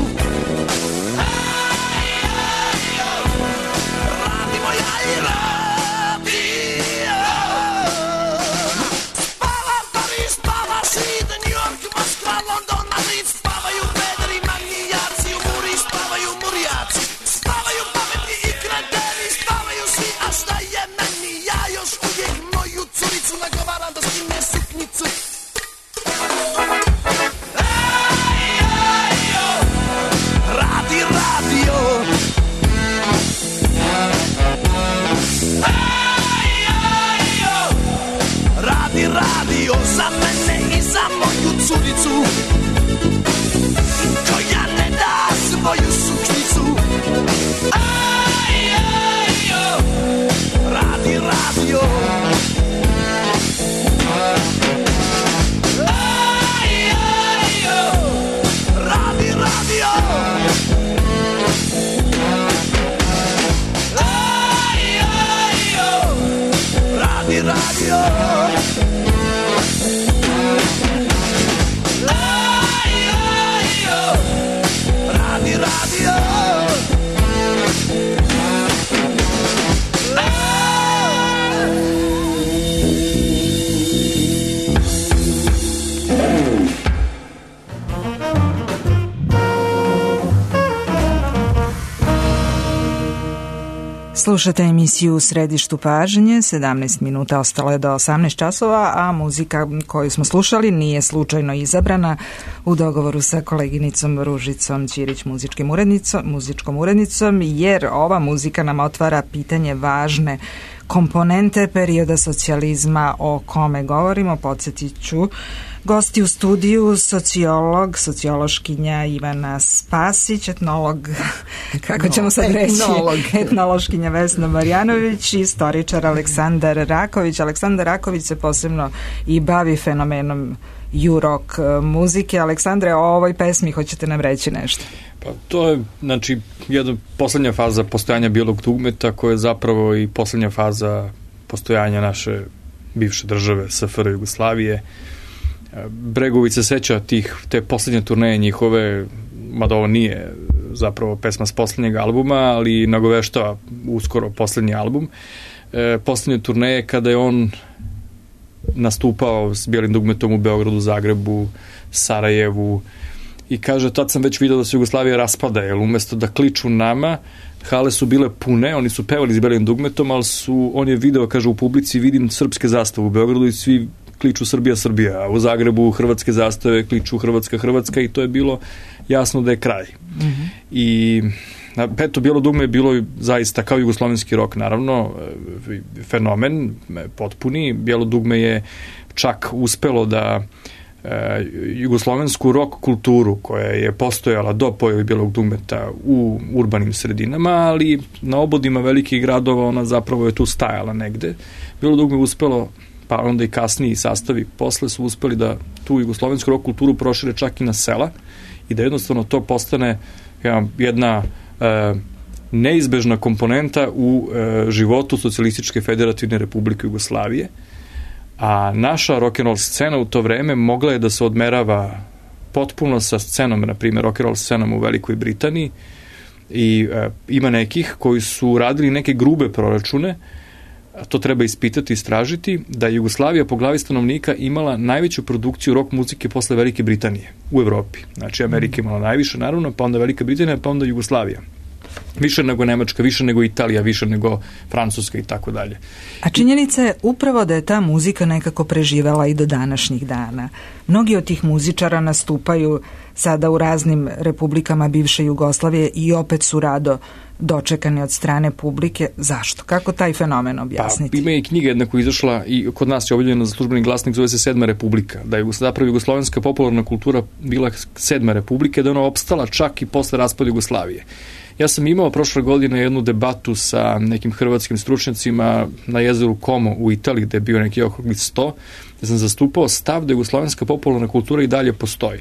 Za mene i za moju curicu, koja ne da svoju suknicu. Aj, aj, oh, radi radio. Aj, aj, oh, radi radio. Aj, aj, oh, radi radio. Slušate emisiju U središtu pažnje, sedamnaest minuta ostalo je do osamnaest časova, a muzika koju smo slušali nije slučajno izabrana u dogovoru sa koleginicom Ružicom Ćirić, muzičkim urednicom, muzičkom urednicom, jer ova muzika nam otvara pitanje važne komponente perioda socijalizma o kome govorimo. Podsjetit ću, gosti u studiju, sociolog, sociološkinja Ivana Spasić, etnolog, kako ćemo sad reći, etnolog. etnološkinja Vesna Marjanović i istoričar Aleksandar Raković. Aleksandar Raković se posebno i bavi fenomenom ju-rock muzike. Aleksandre, o ovoj pesmi hoćete nam reći nešto? Pa to je, znači, jedna poslednja faza postojanja bijelog dugmeta, koja je zapravo i poslednja faza postojanja naše bivše države, S F R Jugoslavije. Bregović se seća tih, te poslednje turneje njihove, mada ovo nije zapravo pesma s poslednjeg albuma, ali nagoveštava uskoro poslednji album. E, poslednje turneje kada je on nastupao s bijelim dugmetom u Beogradu, Zagrebu, Sarajevu, i kaže, tad sam već vidio da se Jugoslavija raspada, jer umesto da kliču nama, hale su bile pune, oni su pevali s bijelim dugmetom, ali su, on je video, kaže, u publici vidim srpske zastave u Beogradu i svi kliču Srbija, Srbija, a u Zagrebu hrvatske zastave kliču Hrvatska, Hrvatska, i to je bilo jasno da je kraj. Mm-hmm. I eto, Bijelo dugme je bilo zaista kao jugoslovenski rok, naravno, fenomen potpuni. Bijelo dugme je čak uspelo da e, jugoslovensku rock kulturu koja je postojala do pojave Bijelog dugmeta u urbanim sredinama, ali na obodima velikih gradova ona zapravo je tu stajala negde. Bijelo dugme je uspelo, pa onda i kasniji sastavi posle su uspeli da tu jugoslovensku rock kulturu prošire čak i na sela i da jednostavno to postane jedna e, neizbežna komponenta u e, životu Socijalističke federativne republike Jugoslavije, a naša rock'n'roll scena u to vreme mogla je da se odmerava potpuno sa scenom, na primjer rock'n'roll scenom u Velikoj Britaniji i e, ima nekih koji su radili neke grube proračune, to treba ispitati, istražiti, da je Jugoslavija po glavi stanovnika imala najveću produkciju rock muzike posle Velike Britanije u Evropi. Znači Amerika imala najviše, naravno, pa onda Velika Britanija, pa onda Jugoslavija. Više nego Nemačka, više nego Italija, više nego Francuska i tako dalje. A činjenica je upravo da je ta muzika nekako preživela i do današnjih dana. Mnogi od tih muzičara nastupaju sada u raznim republikama bivše Jugoslavije i opet su rado dočekani od strane publike. Zašto? Kako taj fenomen objasniti? Pa, ima i knjiga jedna koja je izašla i kod nas je objavljena za službeni glasnik, zove se Sedma republika. Da je zapravo jugoslovenska popularna kultura bila Sedma republika, da je ona opstala čak i posle raspada Jugoslavije. Ja sam imao prošle godine jednu debatu sa nekim hrvatskim stručnjacima na jezeru Como u Italiji, gde je bio neki okrugli sto, gde sam zastupao stav da jugoslovenska popularna kultura i dalje postoji.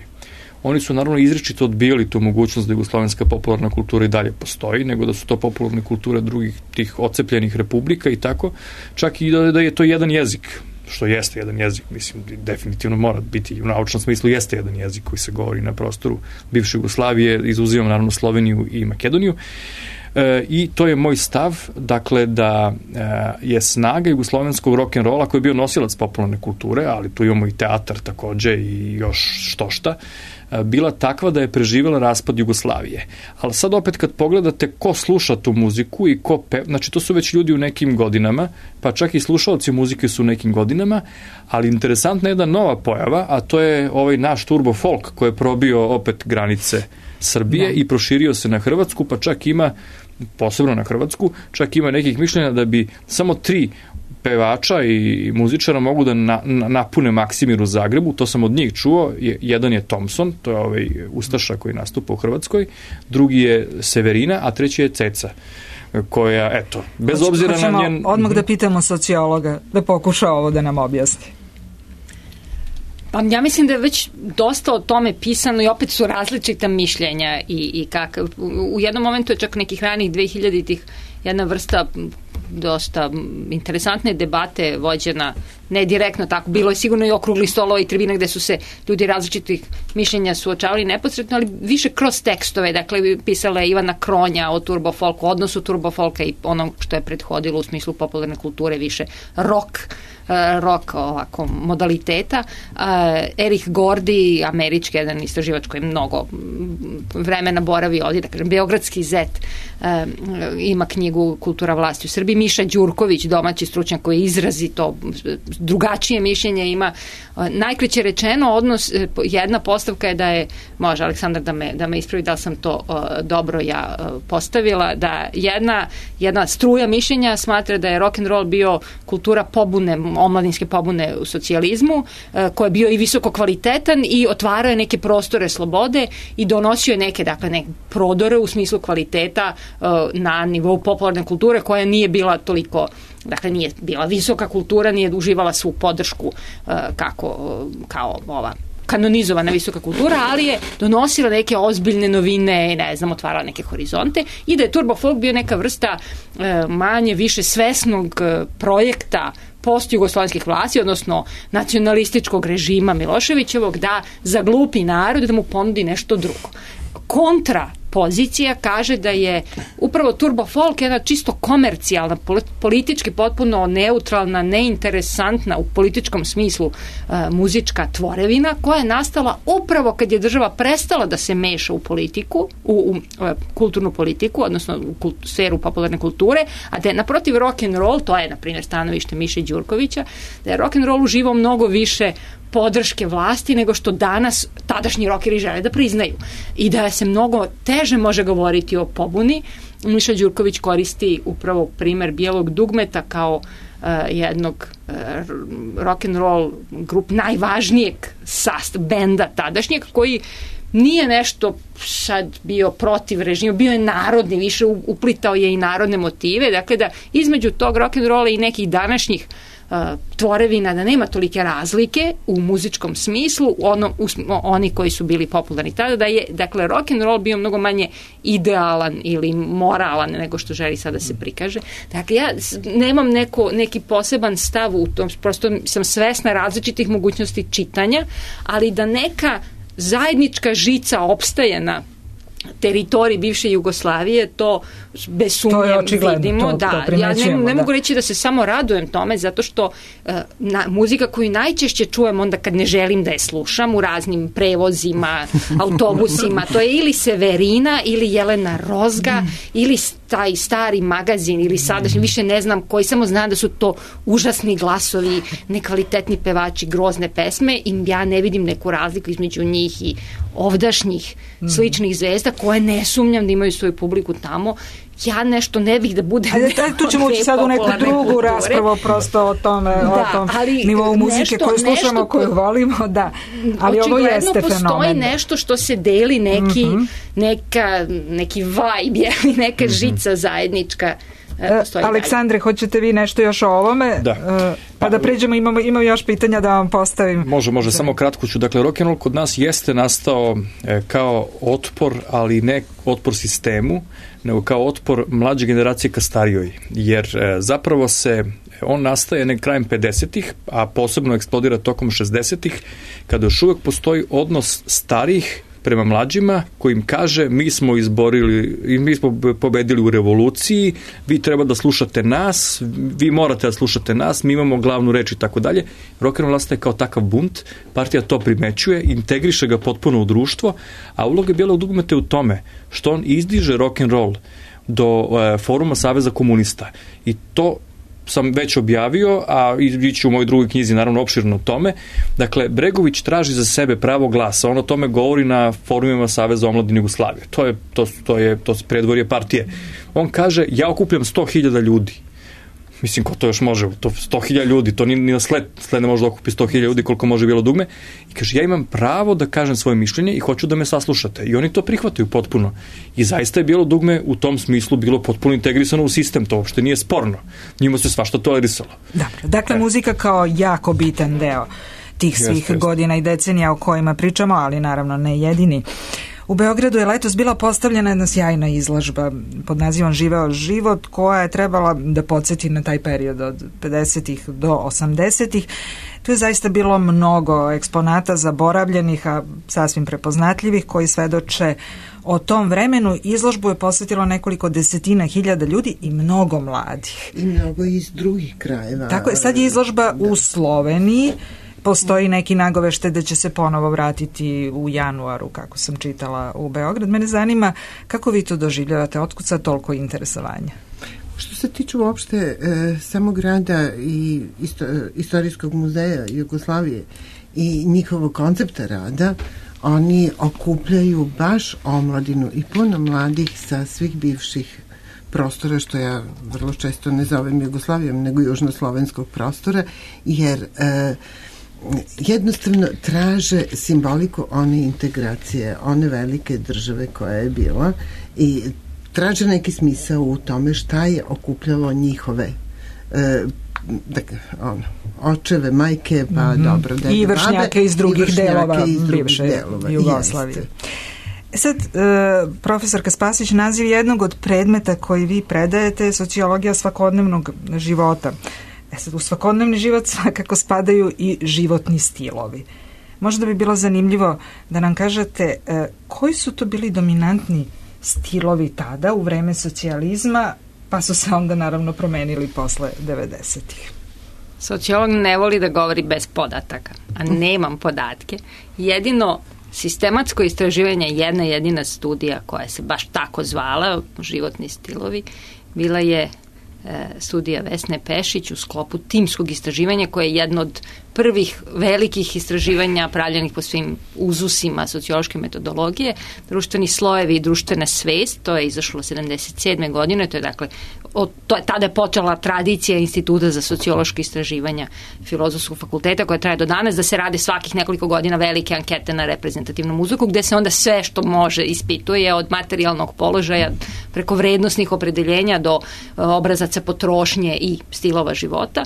Oni su naravno izričito odbijali tu mogućnost da jugoslovenska popularna kultura i dalje postoji, nego da su to popularne kulture drugih tih ocepljenih republika i tako, čak i da, da je to jedan jezik, što jeste jedan jezik, mislim, definitivno mora biti, u naučnom smislu jeste jedan jezik koji se govori na prostoru bivše Jugoslavije, izuzivam naravno Sloveniju i Makedoniju. E, i to je moj stav, dakle da e, je snaga jugoslovenskog rock'n'rolla koji je bio nosilac popularne kulture, ali tu imamo i teatar takođe i još što šta, e, bila takva da je preživjela raspad Jugoslavije. Ali sad opet kad pogledate ko sluša tu muziku i ko pe... znači to su već ljudi u nekim godinama, pa čak i slušalci muzike su u nekim godinama, ali interesantna je jedna nova pojava, a to je ovaj naš turbo folk koji je probio opet granice Srbije da. I proširio se na Hrvatsku, pa čak ima, posebno na Hrvatsku, čak ima nekih mišljenja da bi samo tri pevača i muzičara mogu da na, na, napune Maksimir u Zagrebu, to sam od njih čuo, je, jedan je Thompson, to je ovaj ustaša koji nastupa u Hrvatskoj, drugi je Severina, a treći je Ceca, koja, eto, bez Hoć, obzira na njen... odmah da pitamo sociologa, da pokuša ovo da nam objasni. Pa ja mislim da je već dosta o tome pisano i opet su različita mišljenja i, i kakav. U jednom momentu je čak nekih ranih dvehiljaditih jedna vrsta dosta interesantne debate vođena, ne direktno tako, bilo je sigurno i okrugli stolova i tribina gde su se ljudi različitih mišljenja suočavali neposredno, ali više kroz tekstove, dakle pisala je Ivana Kronja o turbo folku, odnosu turbo folka i onom što je prethodilo u smislu popularne kulture, više rock, rock ovako modaliteta. Erich Gordy, američki jedan istraživač koji mnogo vremena boravi ovdje, da kažem, Beogradski zet, ima knjigu Kultura vlasti u Srbiji. Miša Đurković, domaći stručnjak koji izrazi to drugačije mišljenje, ima najkraće rečeno odnos, jedna postavka je da je, može Aleksandar da me, da me ispravi da li sam to uh, dobro ja uh, postavila, da jedna, jedna struja mišljenja smatra da je rock'n'roll bio kultura pobune, omladinske pobune u socijalizmu, uh, koji je bio i visoko kvalitetan i otvarao je neke prostore slobode i donosio je neke, dakle, neke prodore u smislu kvaliteta uh, na nivou popularne kulture koja nije bila toliko, dakle nije bila visoka kultura, nije uživala svu podršku uh, kako, uh, kao ova kanonizovana visoka kultura, ali je donosila neke ozbiljne novine, ne znam, otvarala neke horizonte i da je turbo folk bio neka vrsta uh, manje više svesnog uh, projekta post-jugoslovenskih vlasti, odnosno nacionalističkog režima Miloševićevog, da zaglupi narod, da mu ponudi nešto drugo. Kontra pozicija kaže da je upravo turbo folk jedna čisto komercijalna, politički potpuno neutralna, neinteresantna u političkom smislu uh, muzička tvorevina koja je nastala upravo kad je država prestala da se meša u politiku, u, u uh, kulturnu politiku, odnosno u kult, sferu popularne kulture, a da je naprotiv rock and roll, to je na primjer stanovište Miše Đurkovića, da je rock and roll uživao mnogo više podrške vlasti nego što danas tadašnji rokeri žele da priznaju. I da se mnogo te teže može govoriti o pobuni. Miša Đurković koristi upravo primer Bijelog dugmeta kao uh, jednog uh, rock'n'roll grup najvažnijeg sast, benda tadašnjeg, koji nije nešto sad bio protiv režima, bio je narodni, više uplitao je i narodne motive, dakle da između tog rock'n'rolla i nekih današnjih uh, tvorevina, da nema tolike razlike u muzičkom smislu, ono, u, oni koji su bili popularni tada, da je, dakle, rock'n'roll bio mnogo manje idealan ili moralan nego što želi sada se prikaže. Dakle, ja nemam neko, neki poseban stav u tom, prosto sam svesna različitih mogućnosti čitanja, ali da neka zajednička žica opstaje na teritoriji bivše Jugoslavije, to bez sumnje vidimo. To, da, to ja ne, ne da. mogu reći da se samo radujem tome, zato što uh, na, muzika koju najčešće čujem onda kad ne želim da je slušam u raznim prevozima, autobusima, to je ili Severina, ili Jelena Rozga, mm. ili taj stari magazin, ili sadašnji, mm. više ne znam koji, samo znam da su to užasni glasovi, nekvalitetni pevači, grozne pesme, i ja ne vidim neku razliku između njih i ovdašnjih mm. sličnih zvezda, koje ne sumnjam da imaju svoju publiku tamo. Ja nešto ne bih da budem... Ajde, tu ćemo ući sad u neku drugu kulture. raspravu prosto o tome, da, o tom nivou muzike koju slušamo, nešto, koju volimo, da. Ali ovo jeste fenomen. Postoji nešto što se deli, neki, mm-hmm. neka, neki vibe, neka mm-hmm. žica zajednička. Aleksandre, hoćete vi nešto još o ovome? Da. Pa da pređemo, imamo, imamo još pitanja da vam postavim. Može, može, samo kratko ću. Dakle, rock'n'roll kod nas jeste nastao e, kao otpor, ali ne otpor sistemu, nego kao otpor mlađe generacije ka starijoj. Jer e, zapravo se on nastaje nek krajem pedesetih, a posebno eksplodira tokom šezdesetih, kada još uvek postoji odnos starih prema mlađima, koji im kaže mi smo izborili i mi smo pobedili u revoluciji, vi treba da slušate nas, vi morate da slušate nas, mi imamo glavnu reč i tako dalje. Rock'n'roll nastaje kao takav bunt, partija to primećuje, integriše ga potpuno u društvo, a uloga Bijelog dugmeta je u tome što on izdiže rock'n'roll do e, foruma Saveza komunista, i to sam već objavio, a ići u mojoj drugoj knjizi naravno opširno o tome. Dakle, Bregović traži za sebe pravo glasa, on o tome govori na forumima Saveza omladine Jugoslavije. To je, to, to je, to je predvorje partije. On kaže, ja okupljam sto hiljada ljudi. Mislim, ko to još može? To sto hiljada ljudi, to ni, ni na sled, sled ne može da okupi sto hiljada ljudi koliko može Bijelo dugme. I kaže, ja imam pravo da kažem svoje mišljenje i hoću da me saslušate. I oni to prihvataju potpuno. I zaista je Bijelo dugme u tom smislu bilo potpuno integrisano u sistem, to uopšte nije sporno. Njima se svašta tolerisalo. Dakle, dakle e. muzika kao jako bitan deo tih svih jeste, godina i decenija o kojima pričamo, ali naravno ne jedini. U Beogradu je letos bila postavljena jedna sjajna izložba pod nazivom Živeo život, koja je trebala da podsjeti na taj period od pedesetih do osamdesetih. Tu je zaista bilo mnogo eksponata zaboravljenih, a sasvim prepoznatljivih, koji svedoče o tom vremenu. Izložbu je posvetilo nekoliko desetina hiljada ljudi i mnogo mladih. I mnogo iz drugih krajeva. Tako je, sad je izložba da. u Sloveniji. Postoji neki nagovešte da će se ponovo vratiti u januaru, kako sam čitala, u Beograd. Mene zanima kako vi to doživljavate, otkud sad toliko interesovanja? Što se tiče uopšte e, samog grada i isto, Istorijskog muzeja Jugoslavije i njihovog koncepta rada, oni okupljaju baš omladinu i puno mladih sa svih bivših prostora, što ja vrlo često ne zovem Jugoslavijom, nego južnoslovenskog prostora, jer e, jednostavno traže simboliku one integracije, one velike države koja je bila, i traže neki smisao u tome šta je okupljalo njihove e, dakle, ono, očeve, majke, pa mm-hmm. dobro, dede, i vršnjake babe, iz drugih i delova iz drugih bivše delova, Jugoslavije. Jeste. Sad, e, profesorka Spasić, naziv jednog od predmeta koji vi predajete je sociologija svakodnevnog života. E sad, u svakodnevni život svakako spadaju i životni stilovi. Možda bi bilo zanimljivo da nam kažete e, koji su to bili dominantni stilovi tada u vreme socijalizma, pa su se onda naravno promenili posle devedesetih. Sociolog ne voli da govori bez podataka, a nemam podatke. Jedino sistematsko istraživanje, jedna jedina studija koja se baš tako zvala, životni stilovi, bila je studija Vesne Pešić u sklopu timskog istraživanja, koje je jedno od prvih velikih istraživanja pravljenih po svim uzusima sociološke metodologije, društveni slojevi i društvena svest, to je izašlo sedamdeset sedme godine, to je dakle, od, to je, tada je počela tradicija Instituta za sociološke istraživanja Filozofskog fakulteta koja traje do danas, da se rade svakih nekoliko godina velike ankete na reprezentativnom uzorku, gde se onda sve što može ispituje od materijalnog položaja preko vrednosnih opredeljenja do obrazaca potrošnje i stilova života.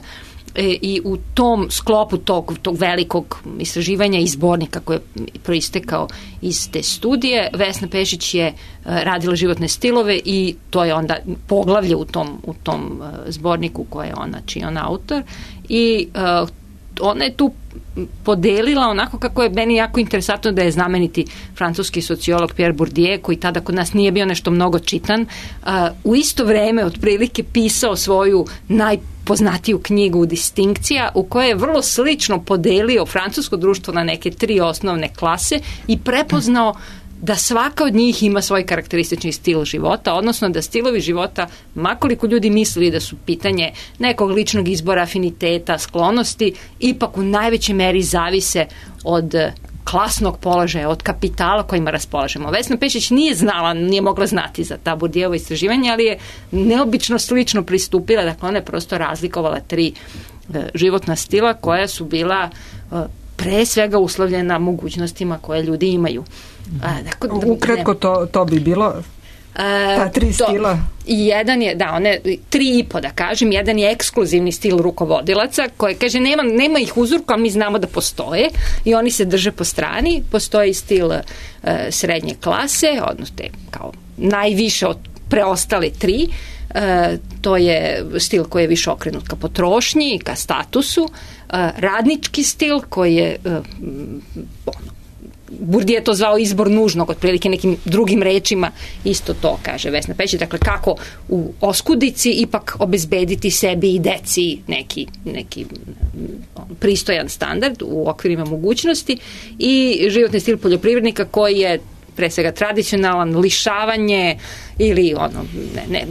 I u tom sklopu tog, tog velikog istraživanja i zbornika koji je proistekao iz te studije, Vesna Pešić je radila životne stilove i to je onda poglavlje u tom, u tom zborniku koje je ona, čiji je on autor, i uh, ona je tu podelila onako kako je meni jako interesantno da je znameniti francuski sociolog Pierre Bourdieu, koji tada kod nas nije bio nešto mnogo čitan, uh, u isto vreme otprilike pisao svoju najpoznatiju knjigu Distinkcija, u kojoj je vrlo slično podelio francusko društvo na neke tri osnovne klase i prepoznao da svaka od njih ima svoj karakteristični stil života, odnosno da stilovi života, makoliko ljudi mislili da su pitanje nekog ličnog izbora, afiniteta, sklonosti, ipak u najvećoj meri zavise od klasnog položaja, od kapitala kojima raspolažemo. Vesna Pešić nije znala, nije mogla znati za ta Bourdieuvo istraživanje, ali je neobično slično pristupila, dakle ona je prosto razlikovala tri e, životna stila koja su bila e, pre svega uslovljena mogućnostima koje ljudi imaju. A, dakle, ukratko to, to bi bilo ta tri to, stila. Jedan je, da, one tri i po da kažem, jedan je ekskluzivni stil rukovodilaca koji kaže nema, nema ih uzorku, ali mi znamo da postoje i oni se drže po strani. Postoji stil uh, srednje klase, odnosno te kao najviše od preostale tri. Uh, to je stil koji je više okrenut ka potrošnji, ka statusu. Uh, radnički stil koji je uh, ono, Bourdieu je to zvao izbor nužnog, otprilike nekim drugim rečima isto to kaže Vesna Pešić, dakle kako u oskudici ipak obezbediti sebi i deci neki, neki pristojan standard u okvirima mogućnosti, i životni stil poljoprivrednika koji je pre svega tradicionalan, lišavanje ili ono, ne, ne,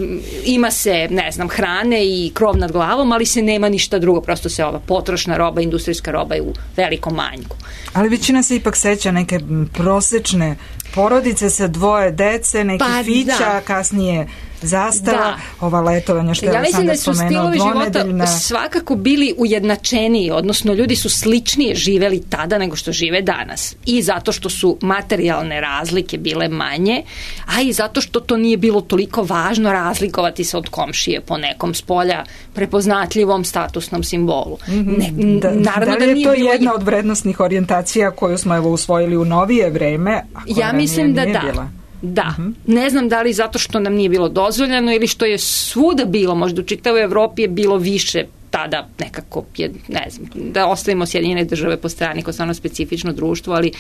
ima se, ne znam, hrane i krov nad glavom, ali se nema ništa drugo, prosto se ova potrošna roba, industrijska roba je u velikom manjku. Ali većina se ipak seća neke prosečne porodice sa dvoje dece, neki pa, fića, da. Kasnije zastava, da. Ova letovanja što je ja sam da spomenuo, dvonedeljna. Svakako bili ujednačeniji, odnosno ljudi su sličnije živeli tada nego što žive danas. I zato što su materijalne razlike bile manje, a i zato što to nije bilo toliko važno razlikovati se od komšije po nekom spolja prepoznatljivom statusnom simbolu. Ne, da, naravno da li je da to bilo... jedna od vrednostnih orijentacija koju smo evo usvojili u novije vreme, a koja ja mislim nije, da nije da. bila? Da, uh-huh. Ne znam da li zato što nam nije bilo dozvoljeno ili što je svuda bilo, možda u čitavoj Evropi je bilo više tada nekako, je, ne znam, da ostavimo Sjedinjene države po strani kao stvarno specifično društvo, ali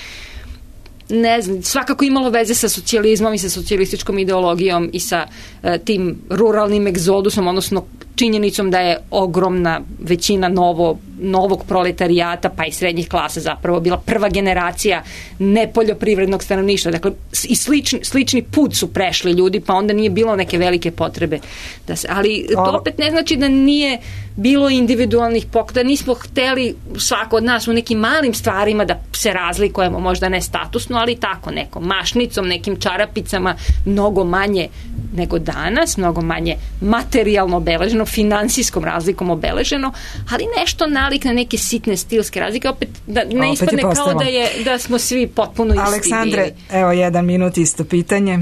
ne znam, svakako imalo veze sa socijalizmom i sa socijalističkom ideologijom i sa uh, tim ruralnim egzodusom, odnosno činjenicom da je ogromna većina novo, novog proletarijata pa i srednjih klasa zapravo bila prva generacija nepoljoprivrednog stanovništva. Dakle, i slični, slični put su prešli ljudi, pa onda nije bilo neke velike potrebe. Da se, ali to opet ne znači da nije bilo individualnih pokreta. Nismo hteli svako od nas u nekim malim stvarima da se razlikujemo, možda ne statusno, ali tako nekom mašnicom, nekim čarapicama, mnogo manje nego danas, mnogo manje materijalno obeleženo, finansijskom razlikom obeleženo, ali nešto nalik na neke sitne stilske razlike, opet da ne opet ispadne kao da, je, da smo svi potpuno isti. Aleksandre, evo jedan minut isto pitanje.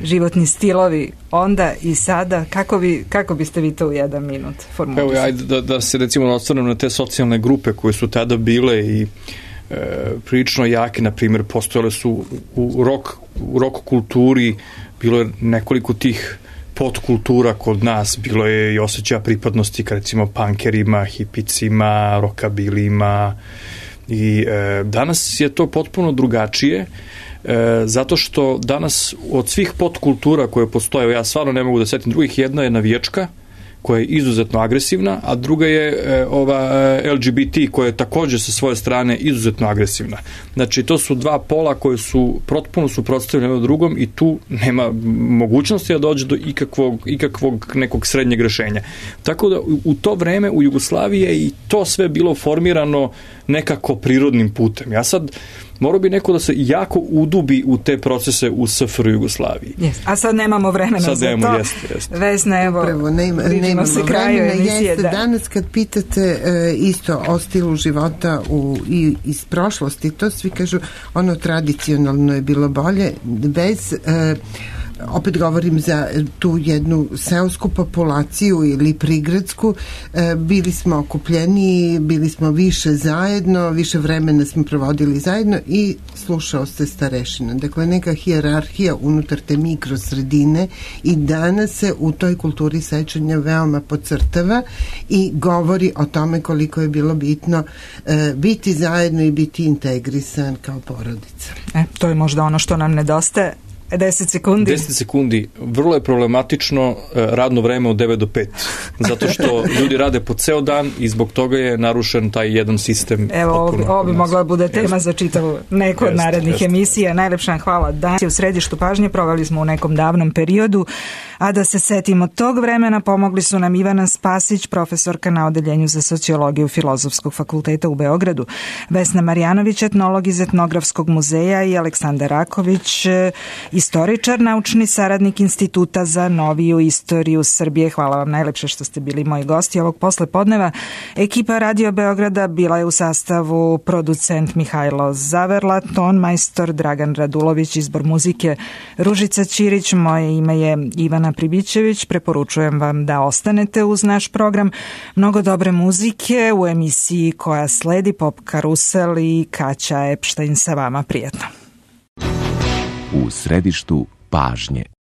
Životni stilovi onda i sada, kako, bi, kako biste vi to u jedan minut formulisali? Evo, ajde da, da se recimo osvrnem na te socijalne grupe koje su tada bile i e, prilično jake, na primjer, postojale su u rock, u rock kulturi, bilo je nekoliko tih podkultura kod nas, bilo je i osjećaja pripadnosti ka recimo punkerima, hipicima, rockabilima i e, danas je to potpuno drugačije, e, zato što danas od svih podkultura koje postoje, ja stvarno ne mogu da setim drugih, jedna je navijačka koja je izuzetno agresivna, a druga je e, ova e, L G B T koja je takođe sa svoje strane izuzetno agresivna. Znači, to su dva pola koje su potpuno suprotstavljene od drugom i tu nema mogućnosti da dođe do ikakvog, ikakvog nekog srednjeg rešenja. Tako da u to vreme u Jugoslaviji je i to sve bilo formirano nekako prirodnim putem. Ja sad morao bi neko da se jako udubi u te procese u S F R Jugoslaviji. Yes. A sad nemamo vremena sad za nemamo, to. Jeste, jeste. Vesna, evo, Upravo, nema, nemamo se kraju vremena. emisije. Jeste, da. danas kad pitate e, isto o stilu života u, i, iz prošlosti, to svi kažu ono tradicionalno je bilo bolje, bez... E, opet govorim za tu jednu seosku populaciju ili prigradsku, e, bili smo okupljeniji, bili smo više zajedno, više vremena smo provodili zajedno i slušao se starešina. Dakle, neka hijerarhija unutar te mikrosredine i danas se u toj kulturi sećanja veoma podcrtava i govori o tome koliko je bilo bitno e, biti zajedno i biti integrisan kao porodica. E, to je možda ono što nam nedostaje. deset sekundi. deset sekundi. Vrlo je problematično radno vreme od devet do pet. Zato što ljudi rade po ceo dan i zbog toga je narušen taj jedan sistem. Evo, ovo, ovo bi mogla da bude tema za čitavu neku od narednih jest. emisija. Najlepša hvala. Danas je u središtu pažnje, proveli smo u nekom davnom periodu, a da se setimo tog vremena pomogli su nam Ivana Spasić, profesorka na Odeljenju za sociologiju Filozofskog fakulteta u Beogradu, Vesna Marjanović, etnolog iz Etnografskog muzeja i Aleksandar Raković, istoričar, naučni saradnik Instituta za noviju istoriju Srbije. Hvala vam najlepše što ste bili moji gosti ovog poslepodneva. Ekipa Radio Beograda bila je u sastavu producent Mihajlo Zaverla, ton majstor Dragan Radulović, izbor muzike Ružica Ćirić, moje ime je Ivana Pribićević. Preporučujem vam da ostanete uz naš program. Mnogo dobre muzike u emisiji koja sledi, Pop Karusel i Kaća Epštajn sa vama. Prijatno. U središtu pažnje.